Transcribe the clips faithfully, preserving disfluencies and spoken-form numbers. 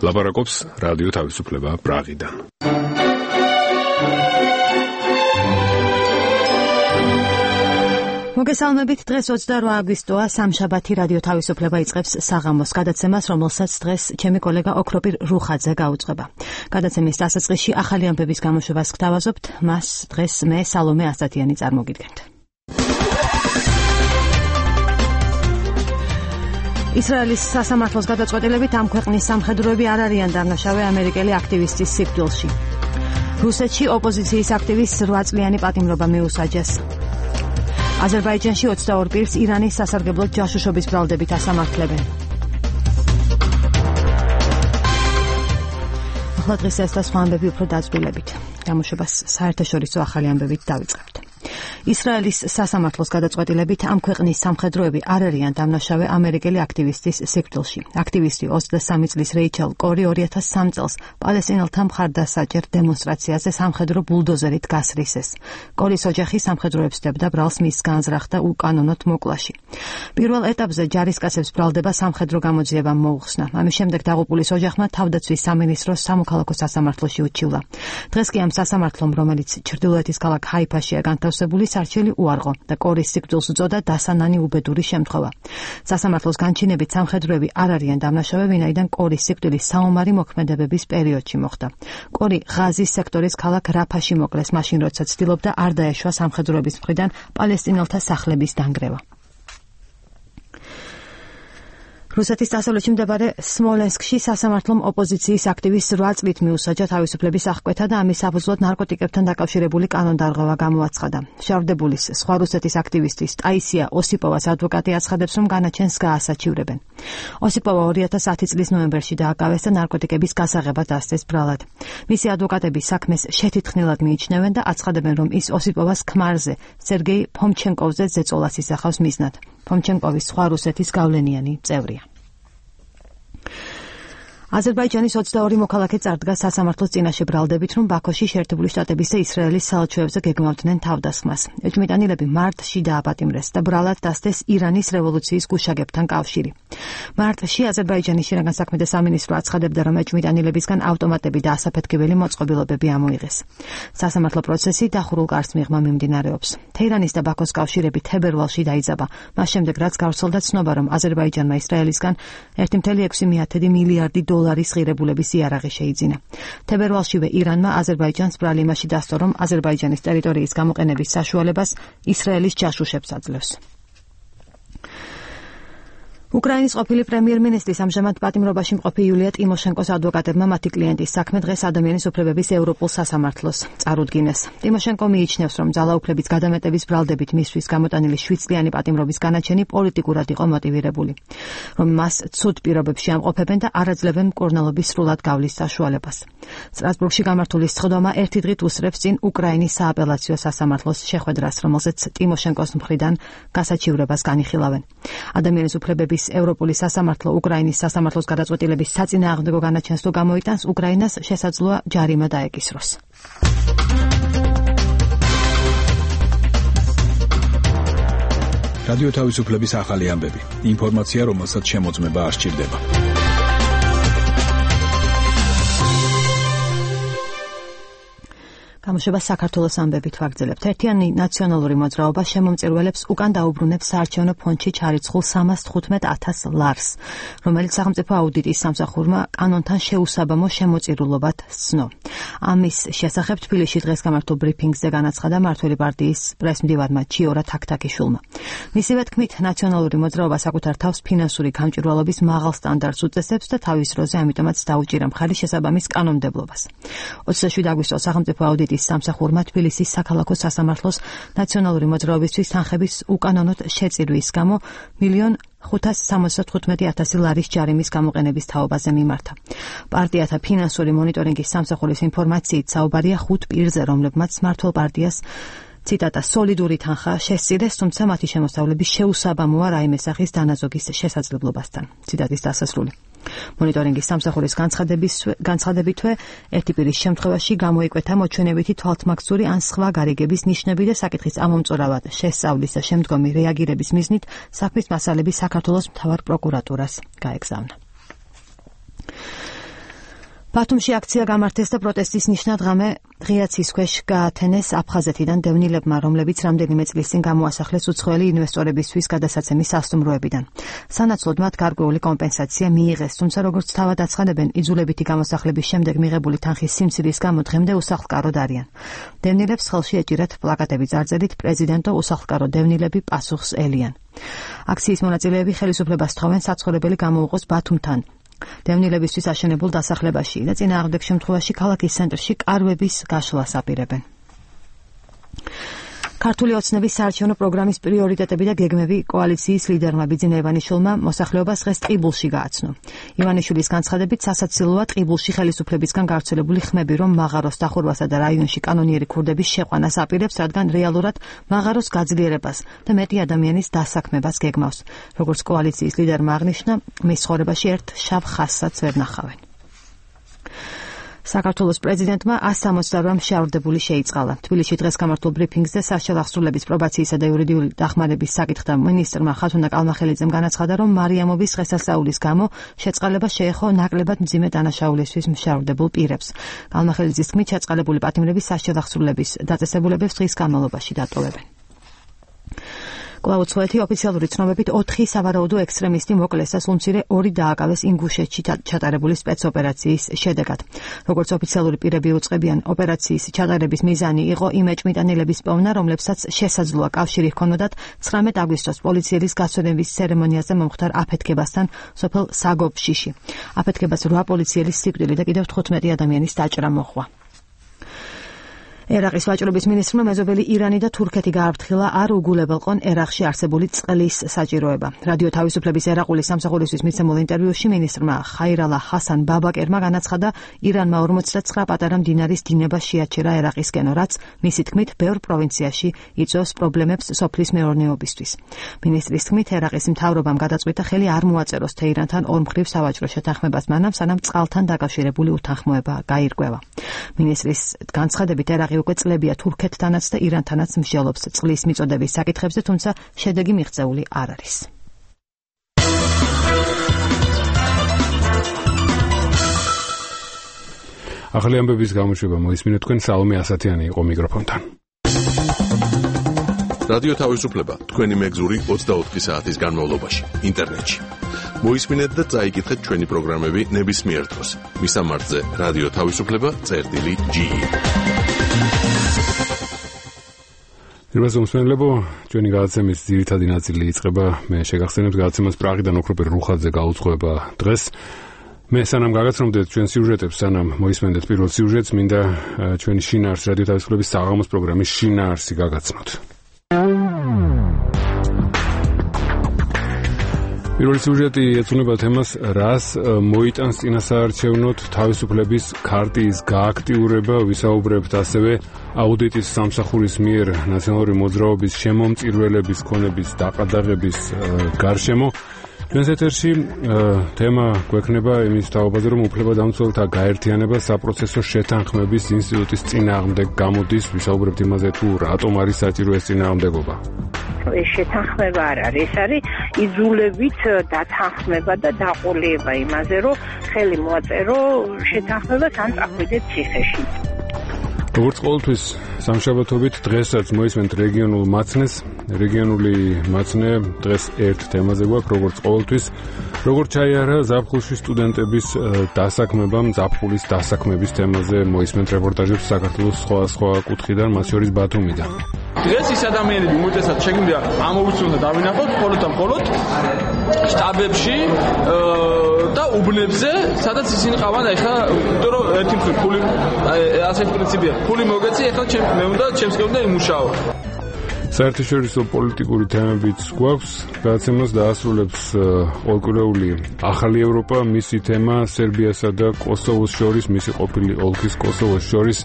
ლაპარაკობს რადიო თავისუფლება პრაღიდან. მოგესალმებით, დღეს ოცდაორი აგვისტოა, სამშაბათი რადიო თავისუფლება იწყებს საღამოს გადაცემას, რომელსაც დღეს ჩემი კოლეგა ოქროპირ რუხაძე გაუძღვება. გადაცემის დასაწყისში ახალი ამბების გამოშვებას გთავაზობთ, მას დღეს მე სალომე ასათიანი წარმოგიდგენთ. ისრაელის სასამართლოს გადაწყვეტილებით ამ ქვეყნის სამხედროები არ არიან დამნაშავე ამერიკელი აქტივისტის სიკვდილში. რუსეთში ოპოზიციის აქტივისტს რვა წლიანი პატიმრობა მიუსაჯეს. აზერბაიჯანში ოცდაორ პირს ირანის სასარგებლოდ ჯაშუშობის ბრალდებით ასამართლებენ. ახლა დღეს ეს და სხვა ამბები უფრო დაწვრილებით. გამოშვებას საერთაშორისო ახალი ამბებით დავიწყებთ. ისრაელის სასამართლოს გადაწყვეტილებით ამ ქვეყნის სამხედროები არ არიან დამნაშავე ამერიკელი აქტივისტის სიკვდილში. აქტივისტი ოცდასამი წლის რეიჩელ კორი ორი ათას სამი წელს პალესტინელთა მხარდასაჭერ დემონსტრაციაზე სამხედრო ბულდოზერით გასრისეს. კორის ოჯახი სამხედროებს სდებდა ბრალს მის განზრახდა უკანონოდ მოკლაში. პირველ ეტაპზე ჯარისკაცებს ბრალდება სამხედრო გამოძიებამ მოუხსნა. ამის შემდეგ დაღუპულის ოჯახმა თავდაცვის სამინისტროს სამოქალაქო სასამართლოში უჩივლა. დღეს კი ამ სასამართლომ, რომელიც ჩრდილოეთის ქალაქ ჰაიფაშია განთავსებული, არჩელი უარღო და კორის სიკვდილს უწოდა დასანანი უბედური შემთხვევა. სასამართლოს განჩინებით სამხედროები არ არიან დამნაშავე, ვინაიდან კორის სიკვდილი საომარი მოქმედებების პერიოდში მოხდა. კორი ღაზის სექტორის ქალაქ რაფაში მოკლეს, მაშინ როცა ცდილობდა არ დაეშვა სამხედროების მხრიდან პალესტინელთა სახლების დანგრევა. რუსეთის დასავლეთში მდებარე სმოლენსკში სასამართლომ ოპოზიციის აქტივისტს რვა წლით მიუსაჯა თავისუფლების აღკვეთა და ამის საფუძვლად ნარკოტიკებთან დაკავშირებული კანონდარღვევა გამოაცხადა. შავრდებულის სხვა რუსეთის აქტივისტის ტაისია ოსიპოვას ადვოკატი აცხადებს, რომ განაჩენს გაასაჩივრებენ. ოსიპოვა ორი ათას ათი წლის ნოემბერში დააკავეს და ნარკოტიკების გასაღებად დასდეს ბრალად. მისი ადვოკატები საქმეს შეთითხნილად მიიჩნევენ და აცხადებენ, რომ ის ოსიპოვას ქმარზე სერგეი ფომჩენკოვზე ზეწოლას ისახავს მიზნად. ფომჩენკოვის სხვა რუსეთის გავლენიანი წევრია. აზერბაიჯანის ოცდაორი მოქალაქე წარდგა სასამართლოს წინაშე ბრალდებით, რომ ბაქოში შეერთებული შტატების და ისრაელის საელჩოებზე გეგმავდნენ თავდასხმას. ეჭვმიტანილები მარტში დააპატიმრეს და ბრალად დასდეს ირანის რევოლუციის გუშაგებთან კავშირი. მარტში აზერბაიჯანის შინაგან საქმეთა სამინისტრო აცხადებდა, რომ ეჭვმიტანილებისგან ავტომატები და ასაფეთქებელი მოწყობილობები ამოიღეს. სასამართლო პროცესი დახურულ კარს მიღმა მიმდინარეობს. თეირანის და ბაქოს კავშირები თებერვალში დაიძაბა, მას შემდეგ რაც გავრცელდა ცნობა, რომ აზერბაიჯანმა ისრაელისგან ერთი კoma ექვსი მილიარდი დოლარის ღირებულების იარაღი შეიძინა. თებერვალშივე ირანმა აზერბაიჯანს ბრალი იმაში დასწრო, რომ აზერბაიჯანის ტერიტორიის გამოყენების საშუალებას ისრაელის ჯაშუშებს აძლევს. უკრაინის ყოფილი პრემიერ-მინისტრის ამჟამად პატიმრობაში მყოფი იულია ტიმოშენკოს ადვოკატებმა მათი კლიენტის საქმე დღეს ადამიანის უფლებების ევროპულ სასამართლოს წარუდგინეს. ტიმოშენკო მიიჩნევს, რომ ძალაუფლების გადამეტების ბრალდებით მისთვის გამოტანილი შვიდ წლიანი პატიმრობის განაჩენი პოლიტიკურად იყო მოტივირებული, რომ მას ცუდ პირობებში ამყოფებენ და არ აძლევენ მკურნალობის სრულად გავლის საშუალებას. სტრასბურგში გამართული სხდომა ერთი დღით უსწრებს წინ უკრაინის სააპელაციო სასამართლოს შეხვედრას, რომელზეც ტიმოშენკოს მხრიდან გასაჩივრებას განიხილავენ. ადამიანის უფლებების ევროპული სასამართლო უკრაინის სასამართლოს გადაწყვეტილების საწინააღმდეგო განაჩენს თუ გამოიტანს, უკრაინას შესაძლოა ჯარიმა დაეკისროს. რადიო თავისუფლების ახალი ამბები. ინფორმაცია, რომელსაც შემოწმება არ სჭირდება. გამოშვება საქართველოს ამბებით ვაგრძელებთ. ერთიანი ნაციონალური მოძრაობა შემომწირველებს უკან დაუბრუნებს საარჩევნო ფონდში ჩარიცხულ სამას თხუთმეტ ათას ლარს, რომელიც სახელმწიფო აუდიტის სამსახურმა კანონთან შეუსაბამო შემოწირულობად სცნო. ამის შესახებ თბილისში დღეს გამართულ ბრიფინგზე განაცხადა მართველი პარტიის პრესმდივარმა ჩიორა თაქთაქიშვილმა. მისივე თქმით, ნაციონალური მოძრაობა საკუთარ თავს ფინანსური გამჭვირვალობის მაღალ სტანდარტს უწესებს და თავის დროზე ამიტომაც დაუჭირა მხარი შესაბამის კანონმდებლობას. ოცდაშვიდი აგვისტოს სახელმწიფო აუდიტის სამსახურმა თბილისის საქალაქო სასამართლოს ნაციონალური მოძრაობისთვის თანხების უკანონოდ შეწირვის გამო მილიონ ხუთას სამოცდათხუთმეტი ათასი ლარის ჯარიმის გამოყენების თაობაზე მიმართა. პარტიათა ფინანსური მონიტორინგის სამსახურის ინფორმაციით საუბარია ხუთ პირზე, რომლებმაც მმართველ პარტიას ციტატა სოლიდური თანხა შესწირეს, თუმცა მათი შემოსავლების შეუსაბამოა რაიმე სახის დანაზოგის შესაძლებლობასთან. ციტატის დასასრული. მონიტორინგის სამსახურის განცხადებითვე ერთი პირის შემთხვევაში გამოიკვეთა მოჩვენებითი თვალთმაგცური ან სხვა გარიგების ნიშნები და საკითხის ამომწურავად შესწავლის და შემდგომი რეაგირების მიზნით საქმის მასალები საქართველოს მთავარ პროკურატურას გაეგზავნა. ბათუმში აქცია გამართეს და პროტესტის ნიშნად ღამე ღია ცის ქვეშ გაათენეს აფხაზეთიდან დევნილებმა, რომლებიც რამდენიმე წლის წინ გამოასახლეს უცხოელი ინვესტორებისთვის გადასაცემის სასტუმროებიდან. სანაცვლოდ მათ გარკვეული კომპენსაცია მიიღეს, თუმცა როგორც თავად აცხადებენ, იძულებითი გამოსახლების შემდეგ მიღებული თანხის სიმცირის გამო დღემდე უსახლკაროდ არიან. დევნილებს ხელში ეჭირათ პლაკატები წარწერით პრეზიდენტო უსახლკარო დევნილები პასუხს ელიან. აქციის მონაწილეები ხელისუფლებას თხოვენ საცხოვრებელი გამოუყოს ბათუმთან. დევნილებისთვის აშენებულ დასახლებაში და წინააღმდეგ შემთხვევაში ქალაქის ცენტრში კარვების გაშლას აპირებენ. ქართული ოცნების საარჩევნო პროგრამის პრიორიტეტები და გეგმები კოალიციის ლიდერმა ბიძინა ივანიშვილმა მოსახლეობას დღეს ტყიბულში გააცნო. ივანიშვილის განცხადებით სასაცილოა ტყიბულში ხელისუფლებისგან გავრცელებული ხმები, რომ მაღაროს დახურვასა და რაიონში კანონიერი ქურდების შეყვანას აპირებს, რადგან რეალურად მაღაროს გაძლიერებას და მეტი ადამიანის დასაქმებას გეგმავს. როგორც კოალიციის ლიდერმა აღნიშნა, მის ცხოვრებაში ერთ შავ ხაზსაც ვერ ნახავენ. საქართველოს პრეზიდენტმა ასი სამოცდაორი მშავრდებული შეიწყალა. თბილისში დღეს გამართულ ბრიფინგზე სასჯელ აღსრულების პრობაციისა და იურიდიული დახმარების საკითხთა მინისტრმა ხათუნა კალმახელიძემ განაცხადა, რომ მარიამოვის დღესასწაულის გამო შეწყალება შეეხო ნაკლებად მძიმე დანაშაულისთვის მშავრდებულ პირებს. კალმახელიძის თქმით, შეწყალებული პატიმრები სასჯელ აღსრულების დაწესებულებებს დღის განმავლობაში დატოვებენ. კვლავ უცხოეთი ოფიციალური ცნობებით ოთხი სავარაუდო ექსტრემისტი მოკლეს და სულმცირე ორი დააკავეს ინგუშეთში ჩატარებული სპეცოპერაციის შედეგად. როგორც ოფიციალური პირები უწყებიან, ოპერაციის ჩატარების მიზანი იყო იმ ეჭვმიტანილების პოვნა, რომლებსაც შესაძლოა კავშირი ჰქონოდათ ცხრამეტ აგვისტოს პოლიციელის გასვენების ცერემონიაზე მომხდარ აფეთქებასთან სოფელ საგობშიში. აფეთქებას რვა პოლიციელის სიკვდილი და კიდევ თხუთმეტი ადამიანის დაჭრა მოჰყვა. ერაყის ვაჭრობის მინისტრმა მეზობელი ირანი და თურქეთი გააფრთხილა არ უგულებელყონ ერაყში არსებული წყლის საჭიროება. რადიო თავისუფლების ერაყული სამსახურისთვის მიცემულ ინტერვიუში მინისტრმა ხაირალა ჰასან ბაბაკერმა განაცხადა, ირანმა ორმოცდათცხრა პატარა მდინარის დინება შეაჩერა ერაყისკენ, რაც მისი თქმით ბევრ პროვინციაში იწვევს პრობლემებს სოფლის მეურნეობისთვის. მინისტრის თქმით, ერაყის მთავრობამ გადაწყვიტა ხელი არ მოაწეროს თეირანთან ორმხრივ სავაჭრო შეთანხმებას მანამ, სანამ წყალთან დაკავშირებული უთანხმოება გაირკვევა. მინისტრის განცხადებით, ერაყი უკვე წლებია თურქეთთანაც და ირანთანაც მსჯელობს წყლის მიწოდების საკითხებზე, თუმცა შედეგი მიღწეული არ არის. ახალი ამბების გამოშვება მოისმინეთ თქვენ, სალომე ასათიანი იყო მიკროფონთან. რადიო თავისუფლება თქვენი მეგზური ოცდაოთხი საათის განმავლობაში ინტერნეტში. მოისმინეთ და წაიკითხეთ ჩვენი პროგრამები ნებისმიერ დროს. მისამართზე რადიო თავისუფლება წერტილი ჯი. პირველ მსმენელებო, ჩვენი გადაცემის ძირითადი ნაწილი იწყება. მე შეგახსენებთ გადაცემას პრაღიდან ოქროპირ რუხაძე გაუძღვება დღეს. მე სანამ გაგაცნობდეთ ჩვენ სიუჟეტებს, სანამ მოისმენდეთ პირველ სიუჟეტს, მინდა ჩვენი შინაარს, რადიო თავისუფლების საღამოს პროგრამის შინაარსი გაგაცნოთ. პირველი სიუჟეტი ეძღვნება თემას, რას მოიტანს წინასაარჩევნოდ თავისუფლების ქარტიის გააქტიურება. ვისაუბრებთ ასევე აუდიტის სამსახურის მიერ ნაციონალური მოძრაობის შემომწირველების ქონების დაყადაღების გარშემო. ჩვენს ეთერში თემა გვექნება იმის თაობაზე, რომ უფლებადამცველთა გაერთიანება საპროცესო შეთანხმების ინსტიტუტის წინააღმდეგ გამოდის. ვისაუბრებთ იმაზე, თუ რატომ არის საჭირო ეს წინააღმდეგობა. ეს შეთანხმება არ არის, ეს არის იძულებით დათანხმება და დაყოლება იმაზე, რომ ხელი მოაწერო შეთანხმებას ან წახვიდეთ ციხეში. როგორც ყოველთვის სამშაბათობით დღესაც მოისმენთ რეგიონულ მაცნეს. რეგიონული მაცნე დღეს ერთ თემაზე გვაქვს, როგორც ყოველთვის, როგორც ჩაიარა ზაფხულში სტუდენტების დასაქმებამ, ზაფხულის დასაქმების თემაზე მოისმენთ რეპორტაჟებს საქართველოს სხვა სხვა კუთხიდან, მათ შორის ბათუმიდან. დღეს ის ადამიანები უმეტესად შეგვიძლია ამოვიცნოთ და დავინახოთ მხოლოდ და მხოლოდ შტაბებში და უბნებზე, სადაც ისინი ყავან. ეხლა იმიტომ რომ ერთი მხრივ ფული ასეთი პრინციპია, ფული მოგეცი, ეხლა მე უნდა ჩემს გეუნდა იმუშაო. საერთაშორისო პოლიტიკური თემებიც გვაქვს. გადაცემას დაასრულებს ყოველკვირეული ახალი ევროპა, მისი თემა სერბიასა და კოსოვოს შორის, მისი ყოფილი ოლქის კოსოვოს შორის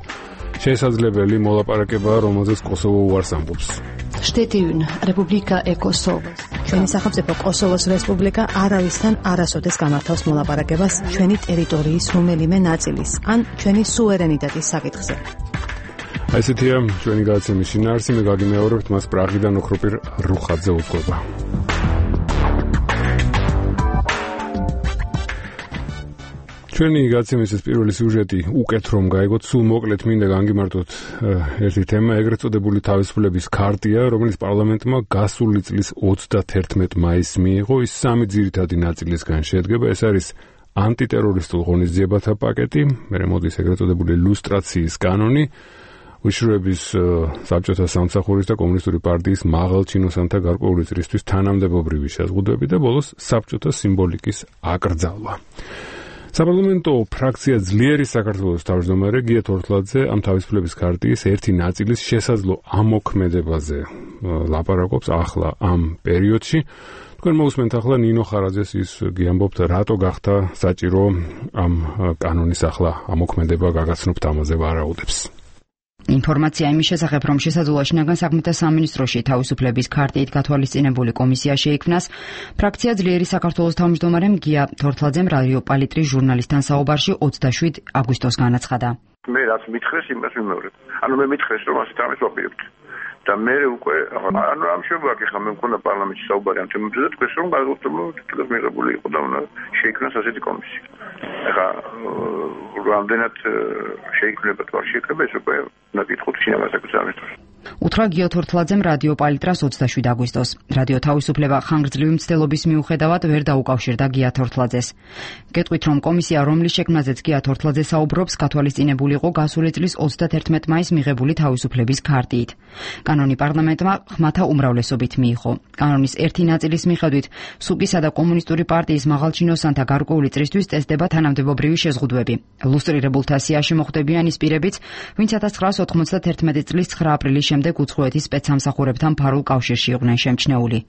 შესაძლებელი მოლაპარაკებაა, რომელზეც კოსოვო უარს ამბობს. შტეტიუნ რესპუბლიკა ე კოსოვო. ჩვენი სახელმწიფო კოსოვოს რესპუბლიკა არავისთან არასოდეს გამართავს მოლაპარაკებას ჩვენი ტერიტორიის რომელიმე ნაწილის ან ჩვენი სუვერენიტეტის საკითხზე. აი ესეთია ჩვენი გადაცემის შინაარსი. მე გაგიმეორებთ მას პრაღიდან ოქროპირ რუხაძე უძღვება. ჩვენი გაცემის ეს პირველი სიუჟეტი უკეთ რომ გაიგოთ, სულ მოკლედ მინდა განგიმარტოთ ერთი თემა, ეგრეთ წოდებული თავისუფლების ქარტია, რომელიც პარლამენტმა გასული წლის ოცდათერთმეტ მაისს მიიღო. ის სამი ძირითადი ნაწილისგან შედგება. ეს არის ანტიტერორისტულ ღონისძიებათა პაკეტი, მერე მოდის ეგრეთ წოდებული ლუსტრაციის კანონი, უშუალების საბჭოთა სამსახურის და კომუნისტური პარტიის მაღალჩინოსანთა გარკვეული წრისთვის თანამდებობრივი შეზღუდვები და ბოლოს საბჭოთა სიმბოლიკის აკრძალვა. საპარლამენტო ფრაქცია ძლიერი საქართველოს თავმჯდომარე გია თორთლაძე ამ თავისუფლების ქარტიის ერთი ნაწილის შესაძლო ამოქმედებაზე ლაპარაკობს ახლა ამ პერიოდში. თქვენ მოусმენთ ახლა ნინო ხარაძეს, ის გიამბობთ რატო გახდა საჭირო ამ კანონის ახლა ამოქმედება გაგაცნობთ ამაზე ვარაუდებს. ინფორმაცია იმის შესახებ, რომ შესაძლოა შინაგან საქმეთა სამინისტროში თავისუფლების ქარტიით გათვალისწინებული კომისია შეიქმნას, ფრაქცია ძლიერი საქართველოს თავმჯდომარემ გია თორთლაძემ რადიო პალიტრის ჟურნალისტთან საუბარში ოცდაშვიდ აგვისტოს განაცხადა. მე რაც მითხრეს, იმას ვიმეორებ. ანუ მე მითხრეს, რომ ასეთ რამეს ვაპირებთ. და მე უკვე ანუ ამ შემოგაკი ხა მე მქონდა პარლამენტში საუბარი ამ თემებზე და თქვენს რომ გადავწყვეტ თითქოს მიღებული იყო და უნდა შეიქმნას ასეთი კომისია. ეხა რამდენად შეიქმნება თუ არ შეიქმნება ეს უკვე უნდა გითხოთ შინაგან საქმეთა სამინისტროს. უთხრა გია თორთლაძემ რადიო პალიტრას ოცდაშვიდ აგვისტოს. რადიო თავისუფლება ხანგრძლივი მცდელობის მიუხედავად ვერ დაუკავშირდა გია თორთლაძეს. გეტყვით, რომ კომისია, რომლის შექმნაზეც გია თორთლაძე საუბრობს, გათვალისწინებული იყო გასული წლის ოცდათერთმეტ მაისს მიღებული თავისუფლების ქარტიით. კანონი პარლამენტმა ხმათა უმრავლესობით მიიღო. კანონის ერთი ნაწილის მიხედვით სუკისა და კომუნისტური პარტიის მაღალჩინოსანთა გარკვეული წრისთვის წესდება თანამდებობრივი შეზღუდვები. ლუსტრირებულთა სიაში მოხვდებიან ის პირებიც, ვინც千九百ოთხმოცდათერთმეტი წლის ცხრა აპრილის შემდეგ უცხოეთის სპეცსამსახურებთან ფარულ კავშირში იყვნენ შემჩნეული.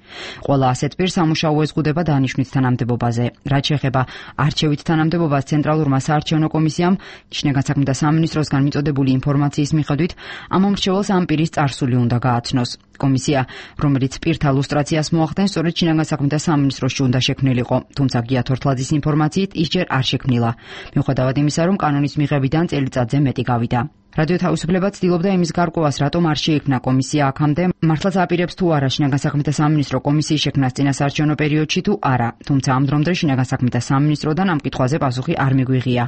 ყველა ასეთ პირს სამუშაო ეზღუდება დანიშვნით თანამდებობაზე. რაც შეეხება არჩევით თანამდებობას, ცენტრალურმა საარჩევნო კომისიამ შინაგან საქმეთა სამინისტროსგან მიწოდებული ინფორმაციის მიხედვით ამ მომრჩეველს ამ პირის წარსული უნდა გააცნოს. კომისია, რომელიც პირთა ლუსტრაციას მოახდენს, სწორედ შინაგან საქმეთა სამინისტროში უნდა შექმნილიყო, თუმცა გია თორთლაძის ინფორმაციით ის ჯერ არ შექმნილა. მიუხედავად იმისა, რომ კანონის მიღებიდან წელიწადზე მეტი გავიდა. რადიო თავისუფლება ცდილობდა იმის გარკვევას, რატომ არ შეიქმნა კომისია აქამდე, მართლაც აპირებს თუ არა შინაგან საქმეთა სამინისტრო კომისიის შექმნას წინასაარჩევნო პერიოდში თუ არა, თუმცა ამ დრომდე შინაგან საქმეთა სამინისტროდან ამ კითხვაზე პასუხი არ მიგვიღია.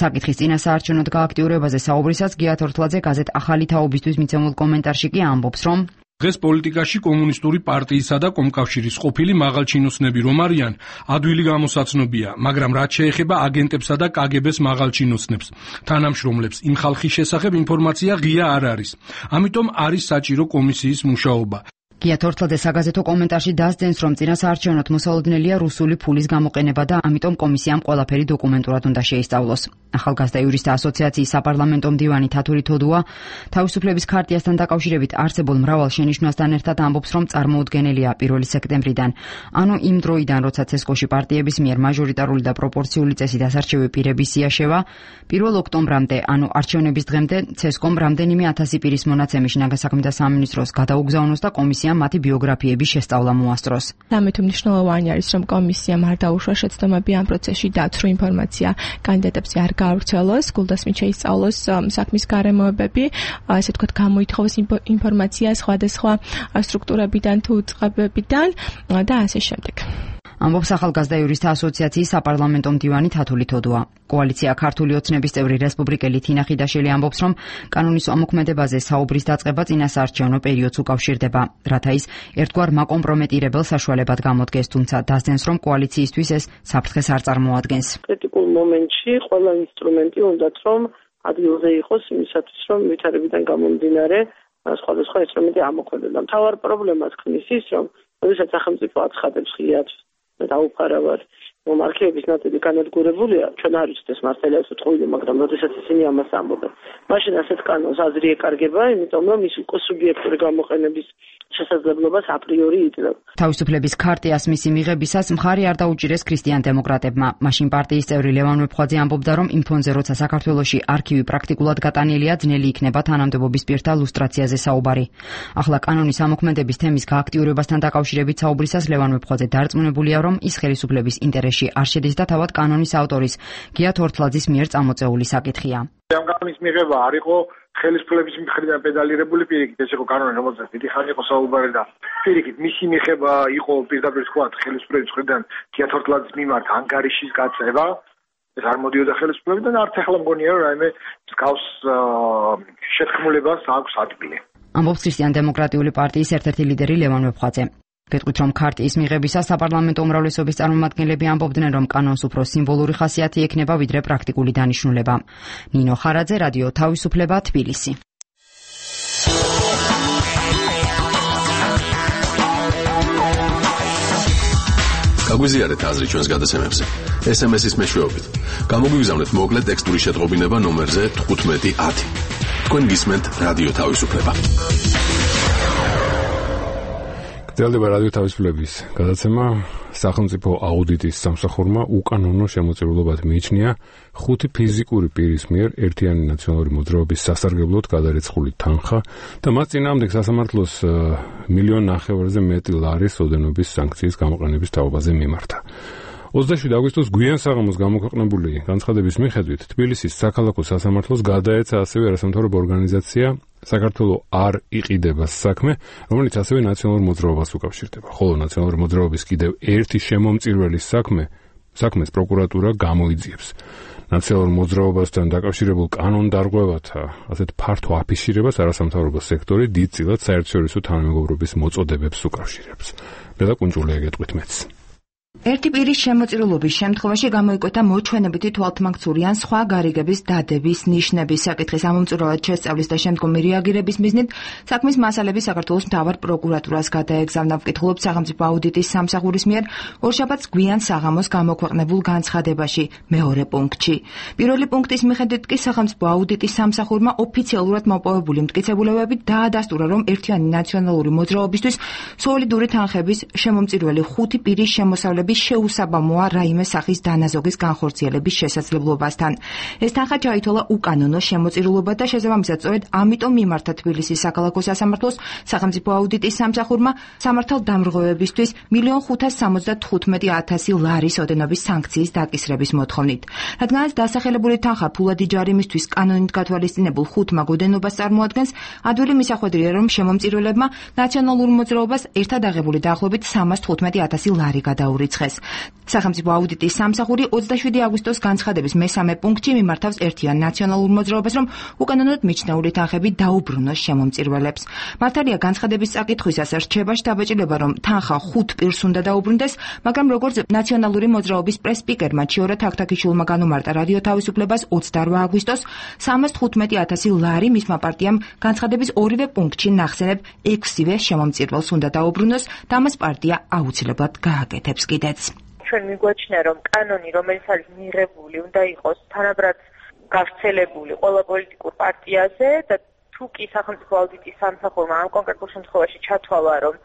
საკითხის წინასაარჩევნო გააქტიურებაზე საუბრისას გია თორთლაძე გაზეთ ახალი თაობისთვის მიცემულ კომენტარში კი ამბობს, რომ დღეს პოლიტიკაში კომუნისტური პარტიისა და კომკავშირის ყოფილი მაღალჩინოსნები რომ არიან, ადვილი გამოსაცნობია, მაგრამ რაც შეეხება აგენტებსა და კაგებეს მაღალჩინოსნებს, თანამშრომლებს, იმ ხალხის შესახებ ინფორმაცია ღია არ არის. ამიტომ არის საჭირო კომისიის მუშაობა. გია თორთლაძე საგაზეთო კომენტარში დასძენს, რომ წინასაარჩევნოდ მოსალოდნელია რუსული ფულის გამოყენება და ამიტომ კომისიამ ყველაფერი დოკუმენტურად უნდა შეისწავლოს. ახალგაზრდა იურისტთა ასოციაციის საპარლამენტო მდივანი თათური თოდუა თავისუფლების ქარტიასთან დაკავშირებით არსებულ მრავალ შენიშვნასთან ერთად ამბობს, რომ წარმოუდგენელია პირველი სექტემბრიდან, ანუ იმ დროიდან, როცა ცესკოში პარტიების მიერ მაჟორიტარული და პროპორციული წესით ასარჩევი პირების სია შევა, პირველ ოქტომბრამდე, ანუ არჩევნების დღემდე ცესკომ რამდენიმე ათასი პირის მონაცემი შინაგან საქმეთა სამინისტროს გადაუგზავნოს და კომისიამ მათი ბიოგრაფიების შესწავლა მოასწროს. ამით მნიშვნელოვანი არის, რომ კომისიამ არ დაუშვა შეცდომები ამ პროცესში დაცრუ ინფორმაცია კანდიდატებზე არ გაავრცელოს, გულდასმით შეისწავლოს საქმის გარემოებები, ასე ვთქვათ, გამოითხოვოს ინფორმაცია სხვადასხვა სტრუქტურებიდან თუ უწყებებიდან და ასე შემდეგ. ამბობს ახალგაზრდა იურისტთა ასოციაციის საპარლამენტო მდივანი თათული თოდუა. კოალიცია ქართული ოცნების წევრი რესპუბლიკელი თინა ხიდაშელი ამბობს, რომ კანონის ამოქმედებაზე საუბრის დაწყება წინასაარჩევნო პერიოდს უკავშირდება, რათა ის ერთგვარ მაკომპრომეტირებელ საშუალებად გამოდგეს, თუმცა დასძენს, რომ კოალიციისთვის ეს საფრთხეს არ წარმოადგენს. კრიტიკულ მომენტში ყველა ინსტრუმენტი უნდათ რომ ადგილზე იყოს იმისათვის, რომ ვითარებიდან გამომდინარე სხვადასხვა ინსტრუმენტი ამოქმედება. მთავარ პრობლემას ქმნის ის, რომ როდესაც სახელმწიფო აცხადებს ღიად დაუფარავად რომ არქივების ნაწილი განადგურებულია, ჩვენ არ ვიცით ეს მართალია უცხოელი, მაგრამ როდესაც ისინი ამას ამბობენ, მაშინ ასეთ კანონს აზრი ეკარგება, იმიტომ რომ ის უკვე სუბიექტური გამოყენების შესაძლებლობას აპრიორი იძლევა. თავისუფლების ქარტიას მისი მიღებისას მხარი არ დაუჭირეს ქრისტიან დემოკრატებმა. მაშინ პარტიის წევრი ლევან მეფხვაძე ამბობდა, რომ იმ ფონზე, როცა საქართველოში არქივი პრაქტიკულად გატანილია, ძნელი იქნება თანამდებობის პირთა ლუსტრაციაზე საუბარი. ახლა კანონის ამოქმედების თემის გააქტიურებასთან დაკავშირებით საუბრისას ლევან მეფხვაძე დარწმუნებულია, რომ ის ხელისუფლების ინტერესში არ შედის და თავად კანონის ავტორის გია თორთლაძის მიერ წამოწეული საკითხია. ამ კანონის მიღება არ იყო ხელისუფლების მხრიდან პედალირებული პირიქით, ეს იყო კანონი, რომელზეც დიდი ხანი იყო საუბარი და პირიქით მისი მიღება იყო პირდაპირ თქვა ხელისუფლების მხრიდან გია თორთლაძის მიმართ ანგარიშის გაწევა ეს არ მოდიოდა ხელისუფლებიდან, არც ახლა მგონია რომ რაიმე მსგავს შეთქმულებას აქვს ადგილი. ამბობს ქრისტიან-დემოკრატიული პარტიის ერთ-ერთი ლიდერი ლევან ვეფხვაძე. გეტყვით, რომ ქარტიის მიღებისას საპარლამენტო უმრავლესობის წარმომადგენლები ამბობდნენ, რომ კანონს უფრო სიმბოლური ხასიათი ექნება, ვიდრე პრაქტიკული დანიშნულება. ნინო ხარაძე, რადიო თავისუფლება, თბილისი. გაგვიზიარეთ აზრი ჩვენს გადაცემებზე. ეს ემ ეს-ის მეშვეობით. გამოგვიგზავნეთ მოკლე ტექსტური შეტყობინება ნომერზე თხუთმეტი ათი. თქვენ გისმენთ რადიო თავისუფლება. გრძელდება რადიო თავისუფლების გადაცემა. სახელმწიფო აუდიტის სამსახურმა უკანონო შემოწირულობად მიიჩნია ხუთი ფიზიკური პირის მიერ ერთიანი ნაციონალური მოძრაობის სასარგებლოდ გადარეცხული თანხა და მას წინააღმდეგ სასამართლოს მილიონ ნახევარზე მეტი ლარის ოდენობის სანქციის გამოყენების თაობაზე მიმართა. ოცდაშვიდი აგვისტოს გვიან საღამოს გამოქვეყნებული განცხადების მიხედვით თბილისის საქალაქო სასამართლოს გადაეცა ასევე არასამთავრობო ორგანიზაცია საქართველოს არ იყიდება საქმე, რომელიც ასევე ნაციონალურ მოძრაობას უკავშირდება. ხოლო ნაციონალური მოძრაობის კიდევ ერთი შემომწირველის საქმე, საქმეს პროკურატურა გამოიძიებს. ნაციონალურ მოძრაობასთან დაკავშირებულ კანონდარღვევათა ასეთ ფართო აფიშირებას არასამთავრობო სექტორი დიდწილად საერთაშორისო თანამეგობრობის მოწოდებებს უკავშირებს. ბელა კუნჭულია გეტყვით მეც. ერთი პირის შემოწირულობის შემთხვევაში გამოიკვეთა მოჩვენებითი თვალთმაქცური ან სხვა გარიგების დადების ნიშნების საკითხის ამომწურავად შესწავლის და შემდგომი რეაგირების მიზნით საქმის მასალები საქართველოს მთავარ პროკურატურას გადაეგზავნა. ვკითხულობთ სახელმწიფო აუდიტის სამსახურის მიერ ორშაბათს გვიან საღამოს გამოქვეყნებულ განცხადებაში მეორე პუნქტში. პირველი პუნქტის მიხედვით კი სახელმწიფო აუდიტის სამსახურმა ოფიციალურად მოპოვებული მტკიცებულებებით დაადასტურა, რომ ერთიანი ნაციონალური მოძრაობისთვის სოლიდური თანხების შემომწირველი ხუთი პირის შემოსავლები შეუსაბამოა რაიმე სახის დანაზოგის განხორციელების შესაძლებლობასთან. ეს თანხა ჩაითვალა უკანონო შემოწირულობა და შესაბამისად სწორედ ამიტომ მიმართა თბილისის საქალაქო სასამართლოს სახელმწიფო აუდიტის სამსახურმა სამართალდამრღვევებისთვის მილიონ ხუთას სამოცდა თხუთმეტი ათასი ლარის ოდენობის სანქციის დაკისრების მოთხოვნით. რადგანაც დასახელებული თანხა ფულადი ჯარიმისთვის კანონით გათვალისწინებულ ხუთმა ოდენობას წარმოადგენს, ადვილი მისახვედრია, რომ შემომწირველებმა ნაციონალურ მოძრაობას ერთად აღებული დაახლოებით სამას თხუთმეტი ათასი ლარი გადაურიცხეს. სახელმწიფო აუდიტის სამსახური ოცდაშვიდი აგვისტოს განცხადების მესამე პუნქტში მიმართავს ერთიან ნაციონალურ მოძრაობას, რომ უკანონოდ მიჩნეული თანხები დაუბრუნოს შემომწირველებს. მართალია განცხადების წაკითხვისას რჩება შთაბეჭდილება, რომ თანხა ხუთ პირს უნდა დაუბრუნდეს, მაგრამ როგორც ნაციონალური მოძრაობის პრეს-სპიკერმა ჩიორა თაქთაქიშვილმა განუმარტა რადიო თავისუფლებას ოცდაორვა აგვისტოს სამას თხუთმეტი ათასი ლარი მისმა პარტიამ განცხადების ორივე პუნქტში ნახსენებ ექვსივე შემომწირველს უნდა დაუბრუნოს და მას პარტია აუცილებლად გააკეთებს კიდეც. ჩვენ მიგვაჩნია, რომ კანონი, რომელიც არის მიღებული, უნდა იყოს თანაბრად გავრცელებული ყველა პოლიტიკურ პარტიაზე და თუ კი სახელმწიფო აუდიტის სამსახურმა ამ კონკრეტულ შემთხვევაში ჩათვალა, რომ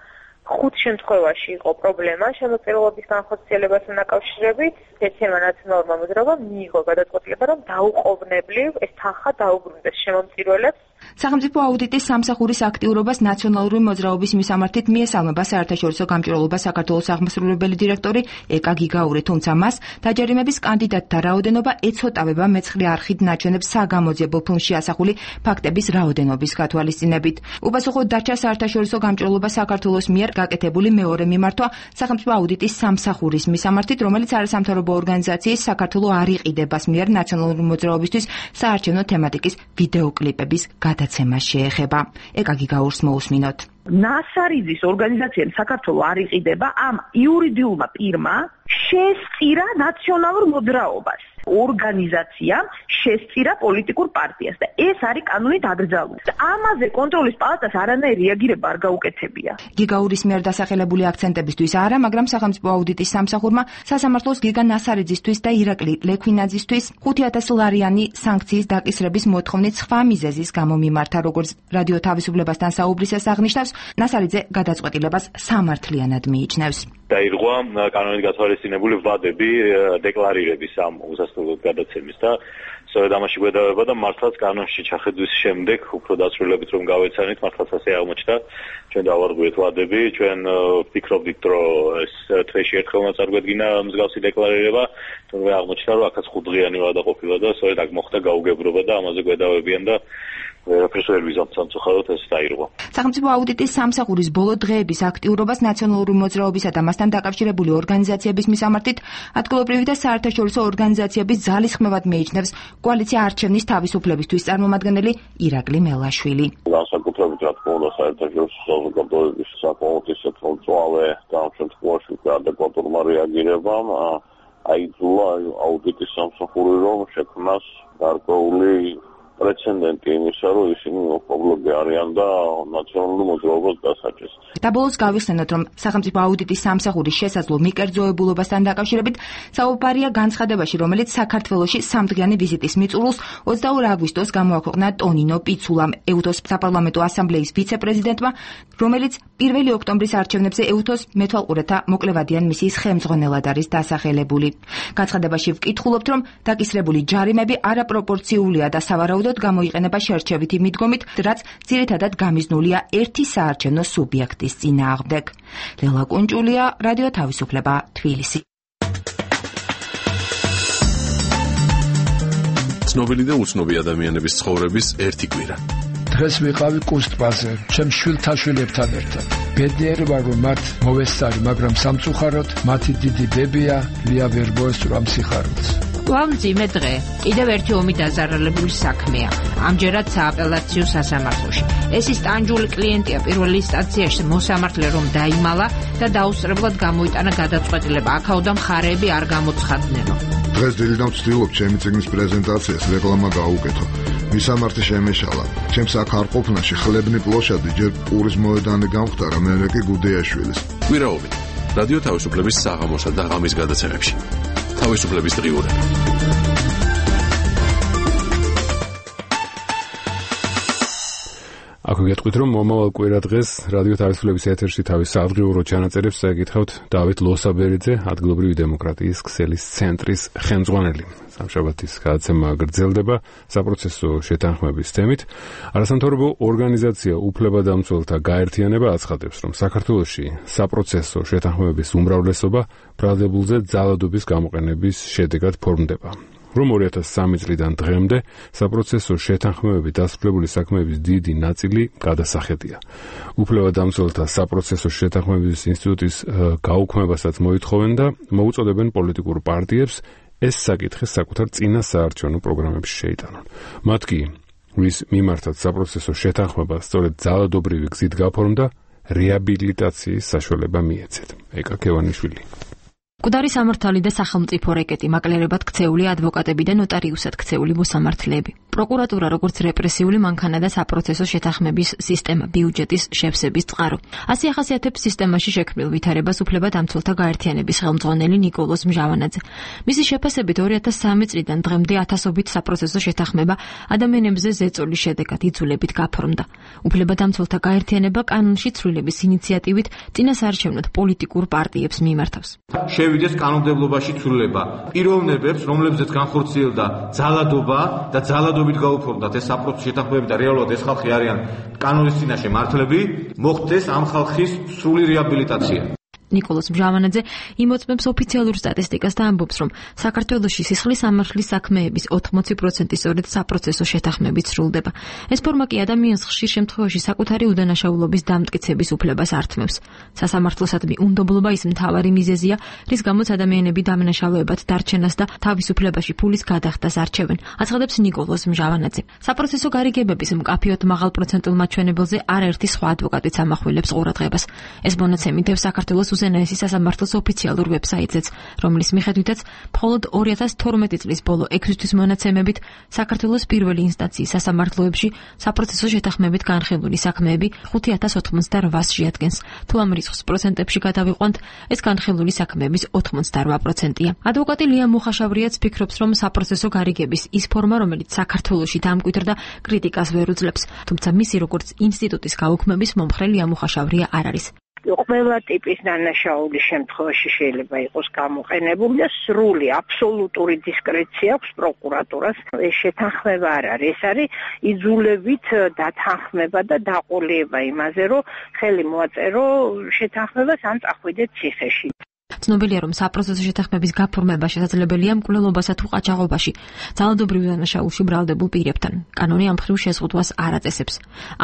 ხუთ შემთხვევაში იყო პრობლემა შემოწირულობის განხორციელებასთან დაკავშირებით, ერთიანმა ნაციონალურმა მოძრაობამ მიიღო გადაწყვეტილება, რომ დაუყოვნებლივ ეს თანხა დაუბრუნდეს შემომწირველებს. სახელმწიფო აუდიტის სამსახურის აქტიურობას ნაციონალური მოძრაობის მისამართით მიესალმება საერთაშორისო გამჭვირვალობა საქართველოს აღმასრულებელი დირექტორი ეკა გიგაური, თუმცა მას დაჯერიმების კანდიდატთა რაოდენობა ეცოტავება მეცხრე არხით ნაჩვენებს საგამოძიებელ ფილმში ასახული ფაქტების რაოდენობის გათვალისწინებით. უპასუხოდ დარჩა საერთაშორისო გამჭვირვალობა საქართველოს მიერ გაკეთებული მეორე მიმართვა სახელმწიფო აუდიტის სამსახურის მისამართით, რომელიც არასამთავრობო ორგანიზაციის საქართველოს არ იყიდებას მიერ ნაციონალური მოძრაობისთვის საარჩევნო თემატიკის ვიდეოკლიპების გადაცემა შეეხება. ეკა გიგაურს მოусმინოთ. ნასარიძის ორგანიზაციამ საქართველოს არ იყიდება ამ იურიდიულმა პირმა შესწირა ნაციონალურ მოძრაობას. ორგანიზაციამ შესწირა პოლიტიკურ პარტიას და ეს არის კანონით აკრძალული. ამაზე კონტროლის პალატას არანაირი რეაგირება არ გაუკეთებია. გიგაურის მიერ დასახელებული აქცენტებისთვის არა, მაგრამ სახელმწიფო აუდიტის სამსახურმა სასამართლოს გიგა ნასარიძისთვის და ირაკლი ლექვინაძისთვის ხუთი ათასი ლარიანი სანქციის დაკისრების მოთხოვნით სხვა მიზეზის გამო მიმართა, როგორც რადიო თავისუფლებასთან საუბრისას აღნიშნავს, ნასარიძე გადაწყვეტილებას სამართლიანად მიიჩნევს. დაირღვა კანონით გათვალისწინებული ვადები დეკლარირების ამ უსასრულოდ გადაცემის და სწორედ ამაში გვედავება და მართლაც კანონში ჩახედვის შემდეგ უფრო დაწვრილებით რომ გავეცანით, მართლაც ასე აღმოჩნდა. ჩვენ დავარღვიეთ ვადები, ჩვენ ვფიქრობდით, რომ ეს თვეში ერთხელმა წარგვედგინა მსგავსი დეკლარირება, თუმცა აღმოჩნდა, რომ აქაც ხუთდღიანი ვადა ყოფილა და სწორედ აქ მოხდა გაუგებრობა და ამაზე გვედავებიან და ვერაფერს ვერ ვიზამთ სამწუხაროდ ეს დაირღვა. სახელმწიფო აუდიტის სამსახურის ბოლო დღეების აქტიურობას ნაციონალური მოძრაობისა და მასთან დაკავშირებული ორგანიზაციების მისამართით ადგილობრივი და საერთაშორისო ორგანიზაციების ძალისხმევად მეიჩნევს კოალიცია არჩევნის თავისუფლებისთვის წარმომადგენელი ირაკლი მელაშვილი. განსაკუთრებით რა თქმა უნდა საერთაშორისო საზოგადოების საკმაოდ ისეთ მწვავე და ამ შემთხვევაში ადეკვატურმა რეაგირებამ აიძულა აუდიტის სამსახური რომ შექმნას გარკვეული პრეცედენტი იმისა, რომ ისინი მოხმობლები არიან და ნაციონალური მოძრაობას დასაჯეს. და ბოლოს გავიხსენოთ, რომ სახელმწიფო აუდიტის სამსახურის შესაძლო მიკერძოებულობასთან დაკავშირებით საუბარია განცხადებაში, რომელიც საქართველოში სამთვლიანი ვიზიტის მიწურულს ოცდაორი აგვისტოს გამოაქვეყნა ტონინო პიცულამ, ეუთოს საპარლამენტო ასამბლეის ვიცე-პრეზიდენტმა, რომელიც პირველი ოქტომბრის არჩევნებზე ეუთოს მეთვალყურეთა მოკლევადიან მისიის ხელმძღვანელად არის დასახელებული. განცხადებაში ვკითხულობთ, რომ დაკისრებული ჯარიმები არაპროპორციულია და სავარაუდოდ გამოიყენება შერჩევითი მიდგომით, რაც ძირითადად გამიზნულია ერთი საარჩევნო სუბიექტის წინააღმდეგ. ლელა კუნჭულია, რადიო თავისუფლება, თბილისი. ცნობილი და უცნობი ადამიანების ცხოვრების ერთი კვირა. დღეს ვიყავი კუსტბაზე, ჩემ შვილთა შვილებთან ერთად. ბედნიერი ვარ, რომ მათ მოვესწარი, მაგრამ სამწუხაროდ მათი დიდი ბებია ლია ვერ მოესწრო სიხარულს. ვამძიმე დღე, კიდევ ერთი ომი დაზარალებული საქმეა, ამჯერად სააპელაციო სასამართლოში. ეს ის ტანჯული კლიენტია პირველი ინსტანციაში მოსამართლე რომ დაიმალა და დაუსწრებლად გამოიტანა გადაწყვეტილება, აქაუდა მხარეები არ გამოცხადნენო. დღეს დილიდან ვცდილობ ჩემი წიგნის პრეზენტაციას რეკლამა გაუკეთო. მისამართი შემეშალა. ჩემს აქ არ ყოფნაში ხლებნი პლოშადი ჯერ პურის მოედანი გამختარა, მერე კი გუდეაშვილის. კვირაობით რადიო თავისუფლების საღამოსა და ღამის გადაცემებში. თავისუფლების დღიურები. აქ გეტყვით, რომ მომავალ კვირა დღეს რადიო თავისუფლების ეთერში თავის სადღიურო ჩანაწერებს წაიკითხავთ დავით ლოსაბერიძე, ადგილობრივი დემოკრატიის ქსელის ცენტრის ხელმძღვანელი. სამშაბათის გადაცემა გრძელდება საპროცესო შეთანხმების თემით. არასამთავრობო ორგანიზაცია უფლებადამცველთა გაერთიანება აცხადებს, რომ საქართველოში საპროცესო შეთანხმების უმრავლესობა ბრალდებულზე ძალადობის გამოყენების შედეგად ფორმდება. რომ ორი ათას სამი წლიდან დღემდე საპროცესო შეთანხმებები დასრულებული საქმეების დიდი ნაწილი გადასახედია. უფლებადამცველთა საპროცესო შეთანხმების ინსტიტუტის გაუქმებასაც მოითხოვენ და მოუწოდებენ პოლიტიკურ პარტიებს ეს საკითხი საკუთარ წინა საარჩევნო პროგრამებში შეიტანონ. მათ კი, ვის მიმართაც საპროცესო შეთანხმება სწორედ ძალადობრივი გზით გაფორმდა, რეაბილიტაციის საშუალება მიეცეთ. ეკა ქევანიშვილი. მკვდარი სამართალი და სახელმწიფო რეკეტი, მაკლერებად ქცეული ადვოკატები და ნოტარიუსად ქცეული მოსამართლეები. პროკურატურა როგორც რეპრესიული მანქანა და საპროცესო შეთანხმების სისტემა, ბიუჯეტის შევსების წყარო. ასე ახასიათებს სისტემაში შექმნილ ვითარებას უფლებადამცველთა გაერთიანების ხელმძღვანელი ნიკოლოზ მჟავანაძე. მისი შეფასებით ორი ათას სამი წლიდან დღემდე ათასობით საპროცესო შეთანხმება ადამიანებზე ზეწოლის შედეგად იძულებით გაფორმდა. უფლებადამცველთა გაერთიანება კანონში ცვლილების ინიციატივით წინასაარჩევნოდ პოლიტიკურ პარტიებს მიმართავს. შევიდეს კანონმდებლობაში ცვლილება. პიროვნებებს, რომლებზეც განხორციელდა ძალადობა და ძალადობით გაუფორმდათ ეს საპროცესო შეთანხმებები და რეალურად ეს ხალხი არიან კანონის წინაშე მართლები, მოხდეს ამ ხალხის სრული რეაბილიტაცია. ნიკოლოზ მჟავანაძე იმოწმებს ოფიციალურ სტატისტიკას და ამბობს, რომ საქართველოში სისხლის სამართლის საქმეების ოთხმოცი პროცენტი სწორედ საპროცესო შეთანხმებით სრულდება. ეს ფორმა კი ადამიანს ხშირ შემთხვევაში საკუთარი უდანაშაულობის დამტკიცების უფლებას ართმევს. სასამართლოსადმი უნდობლობა ის მთავარი მიზეზია, რის გამოც ადამიანები დამნაშავეებად დარჩენას და თავისუფლებაში ფულის გადახდას არჩევენ, აცხადებს ნიკოლოზ მჟავანაძე. საპროცესო გარიგებების მკაფიოდ მაღალ პროცენტულ მაჩვენებელზე არაერთი სხვა ადვოკატიც ამახვილებს ყურადღებას. ეს მონაცემი დევს საქართველოს უზენაესი სასამართლოს ოფიციალურ ვებსაიტზეც, რომლის მიხედვითაც მხოლოდ ორი ათას თორმეტი წლის ბოლო ექვსი თვის მონაცემებით საქართველოს პირველი ინსტანციის სასამართლოებში საპროცესო შეთანხმებით განხილული საქმეები ხუთი ათას ოცდაოთხს შეადგენს. თუ ამ რიცხვს პროცენტებში გადავიყვანთ, ეს განხილული საქმეების ოცდაოთხ პროცენტია. ადვოკატი ლია მუხაშავრიაც ფიქრობს, რომ საპროცესო გარიგების ის ფორმა, რომელიც საქართველოში დამკვიდრდა, კრიტიკას ვერ უძლებს, თუმცა მისი როგორც ინსტიტუტის გაუქმების მომხრე ლია მუხაშავრია არ არის. ყველა ტიპის დანაშაულის შემთხვევაში შეიძლება იყოს გამოყენებული და სრული აბსოლუტური დისკრეცია აქვს პროკურატურას. ეს შეთანხმება არ არის, ეს არის იძულებით დათანხმება და დაყოლება იმაზე, რომ ხელი მოაწერო შეთანხმებას ან წახვიდეთ ციხეში. ცნობილია, რომ საპროცესო შეთანხმების გაფორმება შესაძლებელია მკვლელობასა თუ ყაჩაღობაში, ძალადობრივ დანაშაულში ბრალდებულ პირებთან. კანონი ამ მხრივ შეზღუდვას არ აწესებს.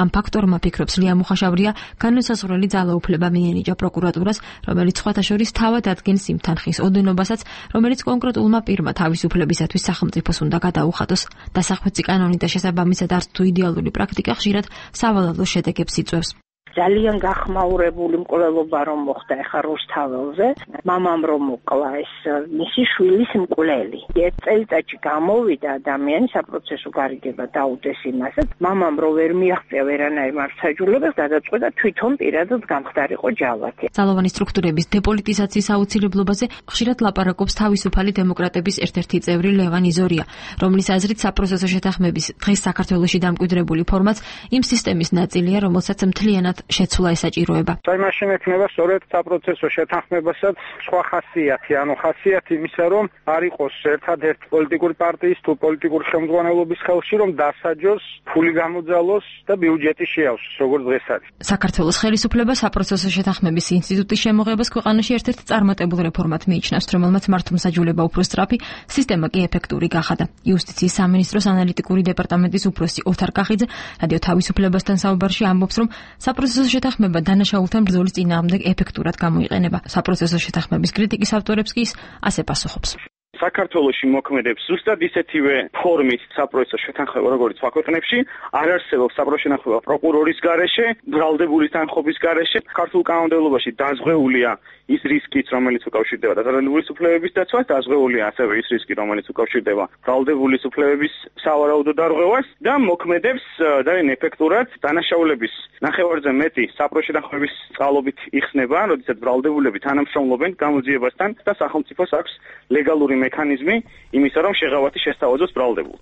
ამ ფაქტორმა ფიქრობს ლია მუხაშავრია, განმსაზღვრელი ძალაუფლება მიენიჭა პროკურატურას, რომელიც სხვათა შორის თავად ადგენს იმ თანხის ოდენობასაც, რომელიც კონკრეტულმა პირმა თავისუფლებისათვის სახელმწიფოს უნდა გადაუხადოს. დასახვეცი კანონი და შესაბამისად არც თუ იდეალური პრაქტიკა ხშირად სავალალო შედეგებს იწვევს. ძალიან გახმაურებული მკვლელობა რომ მოხდა ეხა რუსთაველზე, მამამ რომ მოკლა ეს მისი შვილის მკვლელი. ერთ წელიწადში გამოვიდა ადამიანი საპროცესო გარიგება დაუდეს იმასაც, მამამ რომ ვერ მიაღწია ვერანაირ მართლმსაჯულებას, გადაწყვეტა თვითონ პირადად გამხდარიყო ჯალათი. ძალოვანი სტრუქტურების დეპოლიტიზაციის აუცილებლობაზე ხშირად ლაპარაკობს თავისუფალი დემოკრატების ერთ-ერთი წევრი ლევან იზორია, რომლის აზრით საპროცესო შეთანხმების დღეს საქართველოში დამკვიდრებული ფორმაც იმ სისტემის ნაწილია, რომელსაც მთლიანად შეცვლა ესაჭიროება. აი მაშინ ექნება სწორედ საპროცესო შეთანხმებასაც სხვა ხასიათი, ანუ ხასიათი იმისა, რომ არ იყოს ერთადერთ პოლიტიკური პარტიის თუ პოლიტიკური ხელმძღვანელობის ხელში, რომ დასაჯოს, ფული გამოძალოს და ბიუჯეტი შეავსოს, როგორც დღეს არის. საქართველოს ხელისუფლება საპროცესო შეთანხმების ინსტიტუტის შემოღებას ქვეყანაში ერთ-ერთ წარმატებულ რეფორმად მიიჩნევს, რომელმაც მართლმსაჯულება უფრო სწრაფი, სისტემა კი ეფექტური გახადა. იუსტიციის სამინისტროს ანალიტიკური დეპარტამენტის უფროსი ოთარ კახიძე რადიო თავისუფლებასთან საუბარში ამბობს, რომ საპროცესო შეთანხმება დანაშაულთან ბრძოლის წინააღმდეგ ეფექტურად გამოიყენება. საპროცესო შეთანხმების კრიტიკის ავტორებს კი ასე პასუხობს. საქართველოში მოქმედებს ზუსტად ისეთივე ფორმით საპროცესო შეთანხმება, როგორც სხვა ქვეყნებში, არ არსებობს საპროცესო შეთანხმება პროკურორის გარეშე, ბრალდებული თანხობის გარეშე. ქართულ კანონმდებლობაში დაზღვეულია ის რისკიც, რომელიც უკავშირდება დაზარალებული უფლებების დაცვას, დაზღვეულია ასევე ის რისკი, რომელიც უკავშირდება ბრალდებული უფლებების სავარაუდო დარღვევას და მოქმედებს ძალიან ეფექტურად დანაშაულების ნახევარზე მეტი საპროცესო შეთანხმების წყალობით იხსნება, როდესაც ბრალდებულები თანამშრომლობენ გამოძიებასთან და სახელმწიფოს აქვს ლეგალური მექანიზმი იმისა, რომ შეღავათი შესთავაზოს ბრალდებულ.